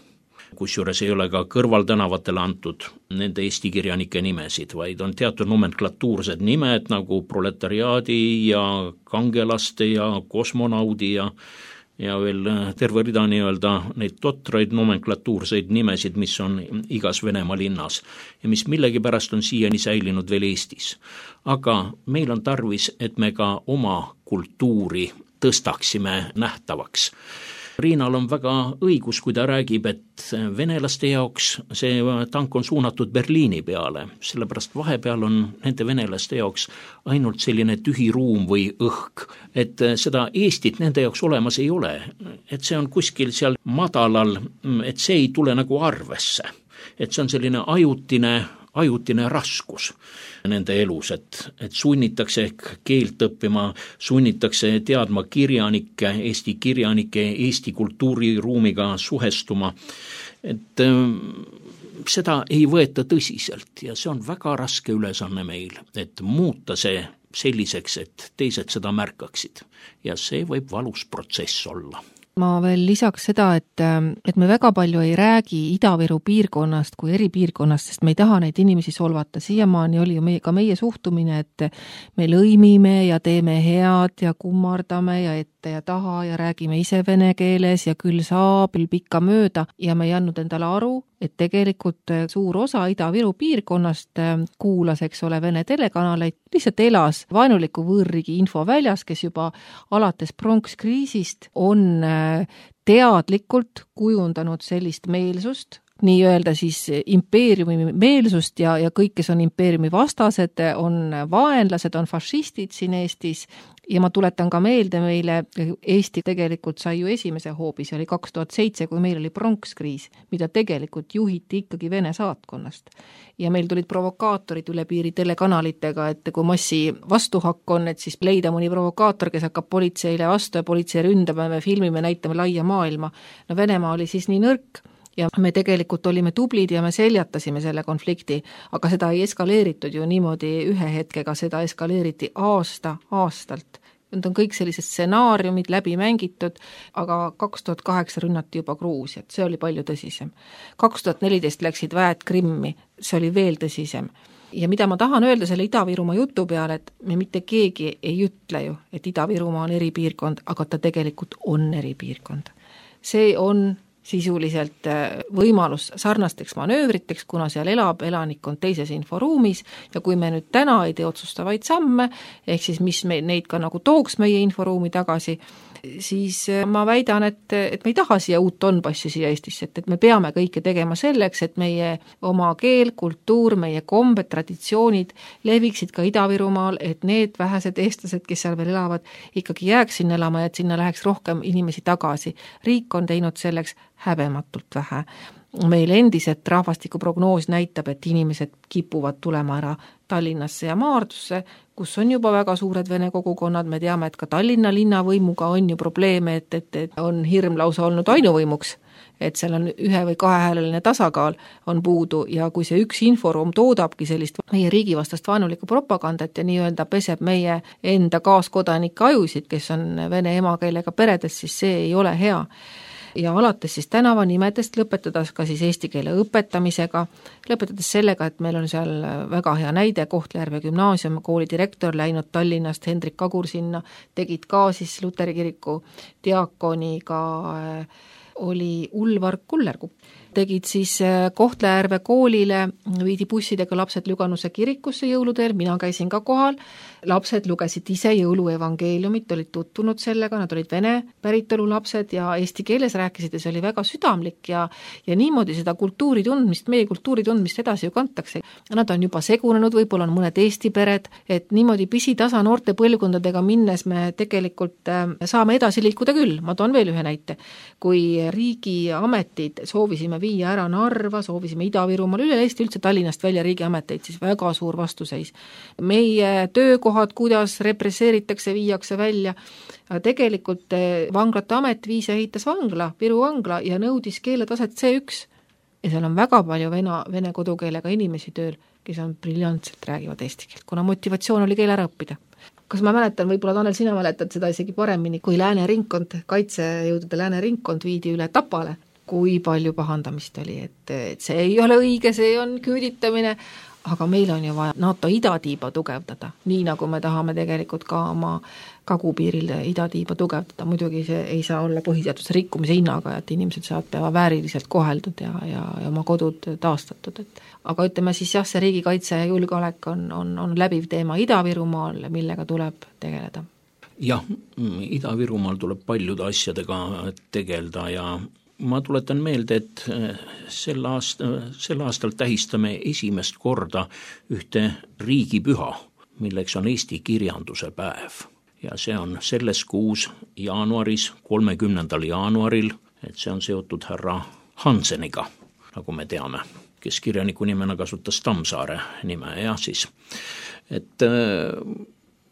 Kusjuures ei ole ka kõrvaltänavatele antud nende eesti kirjanike nimesid, vaid on teatud nomenklatuursed nimed nagu proletariaadi ja kangelaste ja kosmonaudi ja veel terve rida nii-öelda neid totraid nomenklatuurseid nimesid, mis on igas Venemaa linnas ja mis millegipärast on siiani säilinud veel Eestis. Aga meil on tarvis, et me ka oma kultuuri tõstaksime nähtavaks. Riinal on väga õigus, kui ta räägib, et venelaste jaoks see tank on suunatud Berliini peale, sellepärast vahepeal on nende venelaste jaoks ainult selline tühi ruum või õhk, et seda Eestit nende jaoks olemas ei ole, et see on kuskil seal madalal, et see ei tule nagu arvesse, et see on selline ajutine raskus nende elus, et sunnitakse ehk keelt õppima, sunnitakse teadma kirjanikke, Eesti kultuuriruumiga suhestuma, et seda ei võeta tõsiselt ja see on väga raske ülesanne meil, et muuta see selliseks, et teised seda märkaksid ja see võib valus protsess olla. Ma veel lisaks seda, et me väga palju ei räägi Ida-Viru piirkonnast kui eripiirkonnast, sest me ei taha neid inimesi solvata. Siiamaani oli ju ka meie suhtumine, et me lõimime ja teeme head ja kummardame ja ette ja taha ja räägime ise vene keeles ja küll saab pikka mööda ja me ei andnud endale aru, et tegelikult suur osa Ida-Viru piirkonnast kuulas, eks ole, vene telekanaleid, lihtsalt elas vaenuliku võõrriigi infoväljas, kes juba alates pronkskriisist on teadlikult kujundanud sellist meelsust, nii-öelda siis impeeriumi meelsust ja kõik, kes on impeeriumi vastased, on vaenlased, on fašistid siin Eestis ja ma tuletan ka meelde meile, Eesti tegelikult sai ju esimese hoobi, see oli 2007, kui meil oli pronkskriis, mida tegelikult juhiti ikkagi Vene saatkonnast. Ja meil tulid provokaatorid üle piiri telekanalitega, et kui massi vastuhakk on, et siis leida mõni provokaator, kes hakkab politseile vastu ja politsei ründame, me filmime, näitame laia maailma. No Venemaa oli siis nii nõrk, ja me tegelikult olime tublid ja me seljatasime selle konflikti, aga seda ei eskaleeritud ju niimoodi ühe hetkega, seda eskaleeriti aastalt. Need on kõik sellised stsenaariumid läbi mängitud, aga 2008 rünnati juba Gruusiat, see oli palju tõsisem. 2014 läksid väed Krimmi, see oli veel tõsisem. Ja mida ma tahan öelda selle Ida-Virumaa jutu peale, et me mitte keegi ei ütle ju, et Ida-Virumaa on eripiirkond, aga ta tegelikult on eripiirkond. See on sisuliselt võimalus sarnasteks manöövriteks, kuna seal elab elanikkond teises inforuumis ja kui me nüüd täna ei tee otsustavaid samme, ehk siis mis neid ka nagu tooks meie inforuumi tagasi, siis ma väidan, et me ei taha siia uut Donbassi siia Eestisse, et me peame kõike tegema selleks, et meie oma keel, kultuur, meie kombed, traditsioonid leviksid ka Ida-Virumaal, et need vähesed eestlased, kes seal veel elavad, ikkagi jääks sinna elama ja et sinna läheks rohkem inimesi tagasi. Riik on teinud selleks häbematult vähe. Meil endiselt rahvastikuprognoos näitab, et inimesed kipuvad tulema ära Tallinnasse ja Maardusse, kus on juba väga suured vene kogukonnad, me teame, et ka Tallinna linnavõimuga on ju probleeme, et on hirm lausa olnud ainuvõimuks, et seal on 1- või 2-hääleline tasakaal on puudu ja kui see üks inforuum toodabki sellist meie riigivastast vaenulikku propagandat ja nii-öelda peseb meie enda kaaskodanike ajusid, kes on vene emakeelega peredes, siis see ei ole hea. ja alates siis tänavanimedest, lõpetades ka siis eesti keele õpetamisega, lõpetades sellega, et meil on seal väga hea näide, Kohtla-Järve gümnaasium, kooli direktor läinud Tallinnast, Hendrik Kagur sinna, tegid ka siis Luteri kiriku diakoniga, oli Ulvar Kullerkupp. Tegid siis Kohtla-Järve koolile, viidi bussidega lapsed Lüganuse kirikusse jõuluteel, mina käisin ka kohal, lapsed lugesid ise jõuluevangeeliumit, olid tutvunud sellega, nad olid vene päritolu lapsed ja eesti keeles rääkisid ja see oli väga südamlik ja niimoodi seda kultuuri tundmist, meie kultuuri tundmist edasi ju kantakse. Nad on juba segunenud, võib-olla on mõned eesti pered, et niimoodi pisitasa noorte põlvkondadega minnes me tegelikult saame edasi liikuda küll. Ma toon veel ühe näite. Kui riigiametid soovisime viia ära Narva, soovisime Ida-Virumaal, üle Eesti üldse Tallinnast välja riigiameteid, siis väga suur vastuseis. Meie töökohad, kuidas represseeritakse, viiakse välja. Tegelikult vanglate amet viis ja ehitas vangla, Viru vangla ja nõudis keeletaset C1. Ja seal on väga palju vene kodukeelega inimesi tööl, kes on briljantselt räägivad eesti keelt, kuna motivatsioon oli keel ära õppida. Kas ma mäletan, võib-olla Tanel, sina mäletad seda isegi paremini, kui Lääne ringkond, kaitsejõudude Lääne ringkond viidi üle Tapale, kui palju pahandamist oli, et see ei ole õige, see on küüditamine, aga meil on ju vaja NATO idatiiba tugevdada, nii nagu me tahame tegelikult ka oma kagupiiril idatiiba tugevdada, muidugi see ei saa olla põhiseaduse rikkumise hinnaga, et inimesed saavad peavad vääriliselt koheldud ja oma kodud taastatud, aga ütleme siis jah, see riigikaitse ja julgeolek on läbiv teema Ida-Virumaal, millega tuleb tegeleda. Jah, Ida-Virumaal tuleb paljude asjadega tegeleda ja ma tuletan meelde, et sel aastal tähistame esimest korda ühte riigipüha, milleks on Eesti kirjanduse päev. Ja see on selles kuus jaanuaris, 30. jaanuaril, et see on seotud härra Hanseniga, nagu me teame, kes kirjaniku nimena kasutas Tammsaare nime ja siis.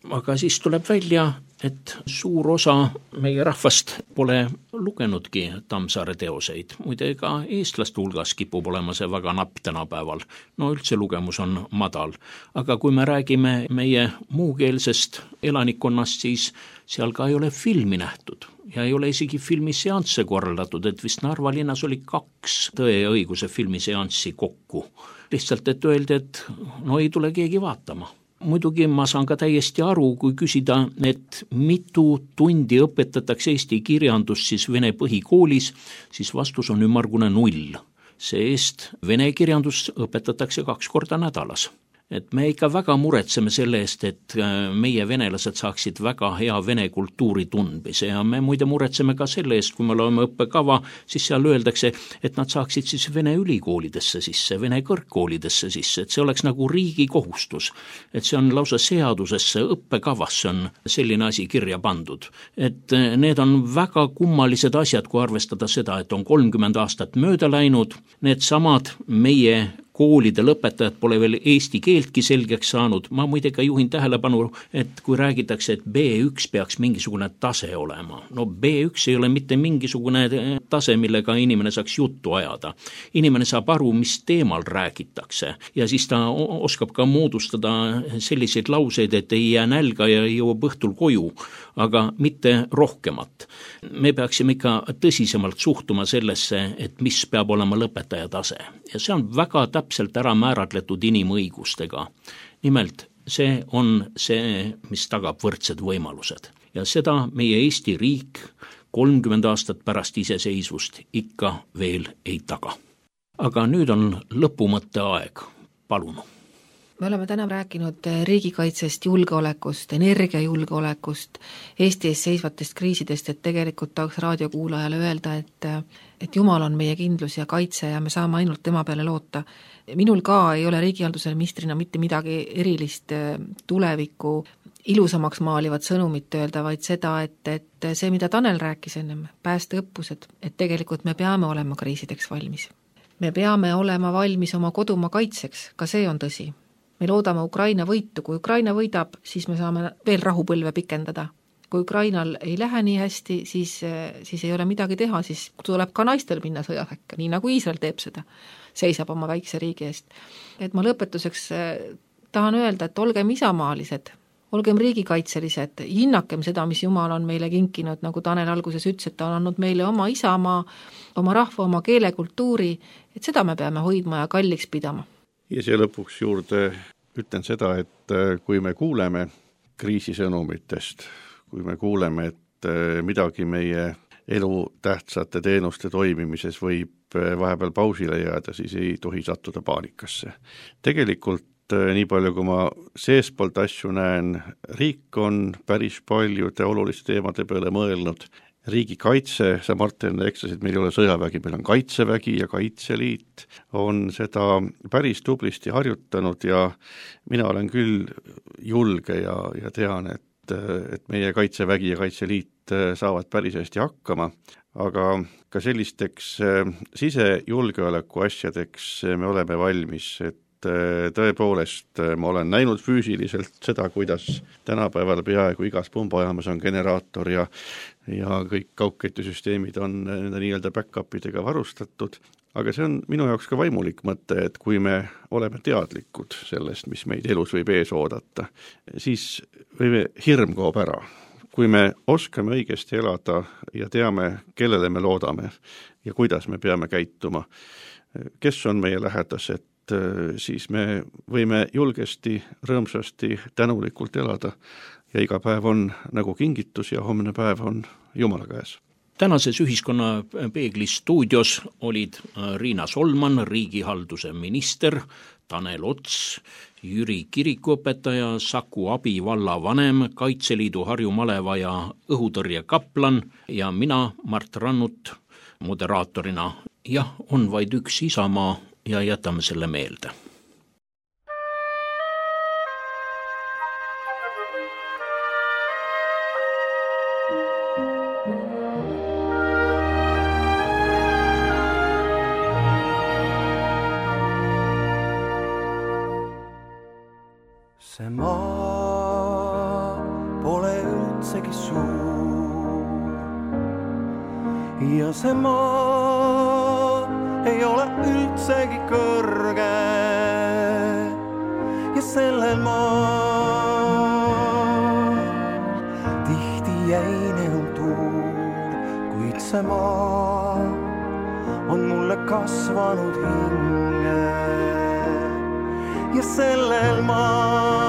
Aga siis tuleb välja, et suur osa meie rahvast pole lugenudki Tammsaare teoseid. Muide ka eestlaste hulgas kipub olema see väga napp tänapäeval. No üldse lugemus on madal. Aga kui me räägime meie muukeelsest elanikkonnast, siis seal ka ei ole filmi nähtud. Ja ei ole isegi filmiseansse korraldatud, et vist Narva linnas oli 2 Tõe ja õiguse filmiseanssi kokku. Lihtsalt, et öeldi, et no ei tule keegi vaatama. Muidugi ma saan ka täiesti aru, kui küsida, et mitu tundi õpetatakse eesti kirjandust siis vene põhikoolis, siis vastus on ümmargune 0. See-eest vene kirjandust õpetatakse 2 korda nädalas. Et me ikka väga muretseme selle eest, et meie venelased saaksid väga hea vene kultuuri tundmise ja me muide muretseme ka selle eest, kui me loeme õppekava, siis seal öeldakse, et nad saaksid siis vene ülikoolidesse sisse, vene kõrgkoolidesse sisse, et see oleks nagu riigi kohustus. Et see on lausa seadusesse, õppekavasse on selline asi kirja pandud. Et need on väga kummalised asjad, kui arvestada seda, et on 30 aastat mööda läinud, need samad meie koolide lõpetajad pole veel eesti keeltki selgeks saanud. Ma muide ka juhin tähelepanu, et kui räägitakse, et B1 peaks mingisugune tase olema. No B1 ei ole mitte mingisugune tase, millega inimene saaks juttu ajada. Inimene saab aru, mis teemal räägitakse ja siis ta oskab ka moodustada selliseid lauseid, et ei jää nälga ja jõuab õhtul koju, aga mitte rohkemat. Me peaksime ikka tõsisemalt suhtuma sellesse, et mis peab olema lõpetaja tase. Ja see on väga täpselt ära määratletud inimõigustega. Nimelt, see on see, mis tagab võrdsed võimalused. Ja seda meie Eesti riik 30 aastat pärast iseseisvust ikka veel ei taga. Aga nüüd on lõpumõtte aeg. Palun. Me oleme täna rääkinud riigikaitsest, julgeolekust, energiajulgeolekust, Eesti ees seisvatest kriisidest, et tegelikult tahaks raadiokuulajale öelda, et Jumal on meie kindlus ja kaitse ja me saame ainult tema peale loota. Minul ka ei ole riigihalduse ministrina mitte midagi erilist tulevikku ilusamaks maalivat sõnumit öelda, vaid seda, et see, mida Tanel rääkis ennem, päästeõppused, et tegelikult me peame olema kriisideks valmis. Me peame olema valmis oma kodumaa kaitseks, ka see on tõsi. Me loodame Ukraina võitu, kui Ukraina võidab, siis me saame veel rahupõlve pikendada. Kui Ukrainal ei lähe nii hästi, siis ei ole midagi teha, siis tuleb ka naistel minna sõjaväkke, nii nagu Iisrael teeb seda, seisab oma väikse riigi eest. Et ma lõpetuseks tahan öelda, et olgem isamaalised, olgem riigikaitselised, hinnakem seda, mis Jumal on meile kinkinud, nagu Tanel alguses ütles, et ta on andnud meile oma isamaa, oma rahva, oma keele, kultuuri, et seda me peame hoidma ja kalliks pidama. Ja siia lõpuks juurde ütlen seda, et kui me kuuleme kriisisõnumitest, kui me kuuleme, et midagi meie elu tähtsate teenuste toimimises võib vahepeal pausile jääda, siis ei tohi sattuda paanikasse. Tegelikult nii palju, kui ma seespoolt asju näen, riik on päris paljude oluliste teemade peale mõelnud. Riigikaitse, sa Martin eksasid, meil ei ole sõjavägi, meil on kaitsevägi ja Kaitseliit on seda päris tublisti harjutanud ja mina olen küll julge ja tean, et meie Kaitsevägi ja Kaitseliit saavad päris hästi hakkama, aga ka sellisteks sisejulgeoleku asjadeks me oleme valmis, et tõepoolest ma olen näinud füüsiliselt seda, kuidas tänapäeval peaaegu igas pumbajaamas on generaator ja kõik kaugkettisüsteemid on nii-öelda back-upidega varustatud, aga see on minu jaoks ka vaimulik mõte, et kui me oleme teadlikud sellest, mis meid elus võib ees oodata, siis hirm kaob ära. Kui me oskame õigesti elada ja teame, kellele me loodame ja kuidas me peame käituma, kes on meie lähedased, siis me võime julgesti, rõõmsasti, tänulikult elada ja iga päev on nagu kingitus ja homne päev on Jumala käes. Tänases Ühiskonnapeegli stuudios olid Riina Solman, riigihalduse minister, Tanel Ots, Jüri kirikuõpetaja, Saku Abi vallavanem, Kaitseliidu Harju Maleva ja õhutõrje kaplan ja mina, Mart Rannut, moderaatorina. Jah, on vaid üks isamaa ja jätame selle meelde. See maa pole üldsegi suur ja see maa ei ole üldsegi kõrge ja sellel maal tihti jäine on tuul, kuid see maa on mulle kasvanud hinge ja sellel maal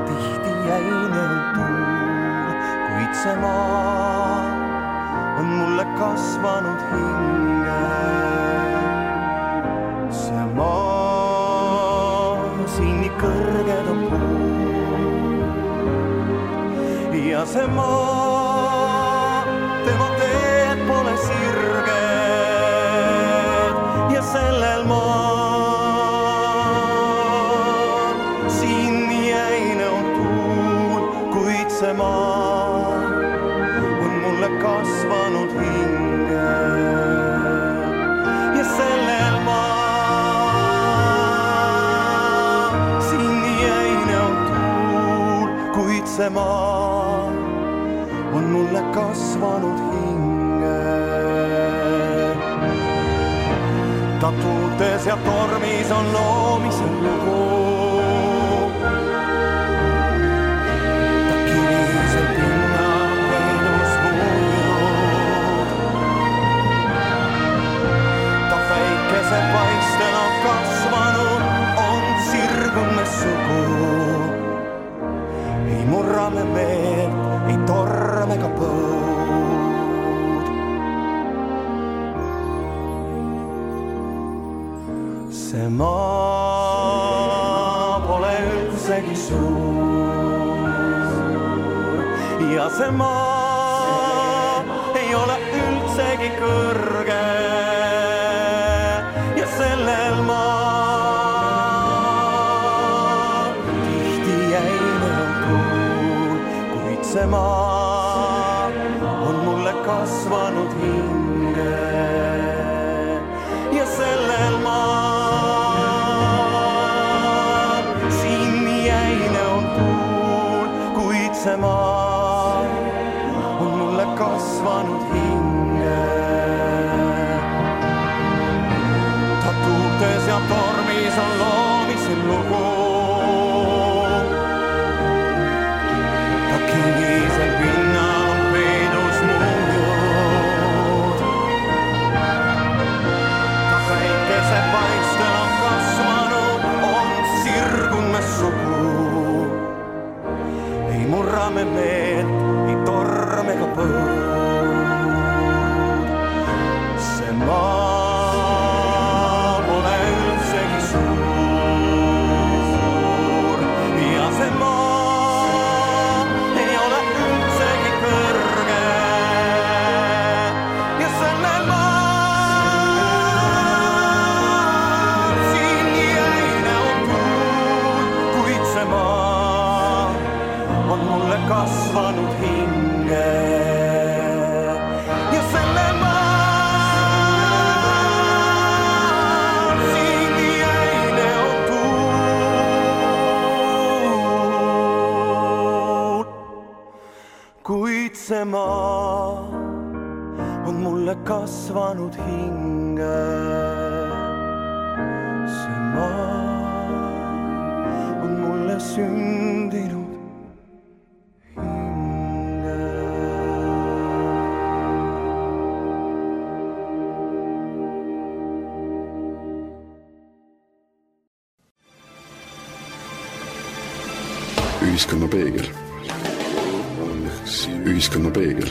tihti jäine on tuul, kuid see maa on mulle kasvanud hinge. See maa siin nii kõrged on puud ja see maa, tema teed pole sirged ja sellel maal siin nii jäine on tuul, kuid see maa on mulle kasvanud hinge ja sellel maal siin nii jäine on tuul, kuid see maa on mulle kasvanud hinge. Ta tuultes ja tormis on loomisel lugu. Ta kivisel pinna peenus muljud. Ta päikese paistel on kasvanud, on sirgume sugu. Ei murrame meelt, ei torme ka põud. See maa pole üldsegi suur ja see maa ei ole üldsegi kõrge ja sellel maal tihti jäine on tuul, kuid see maa on mulle kasvanud hinge ja sellel maal siin nii jäine on tuul, kuid see maa on mulle kasvanud hinge. Ta tuultes ja tormis on loomisel lugu. murrame meelt, ei torm ega põud. See maa pole üldsegi suur ja see maa ei ole üldsegi kõrge ja sellel maal siin jäine on tuul, kuid see maa on mulle kasvanud hinge ja sellel maal siin jäine on tuul, kuid see maa on mulle kasvanud hinge. See maa on mulle sündinud hinge. Ühiskonna peegel. Ühiskonna peegel.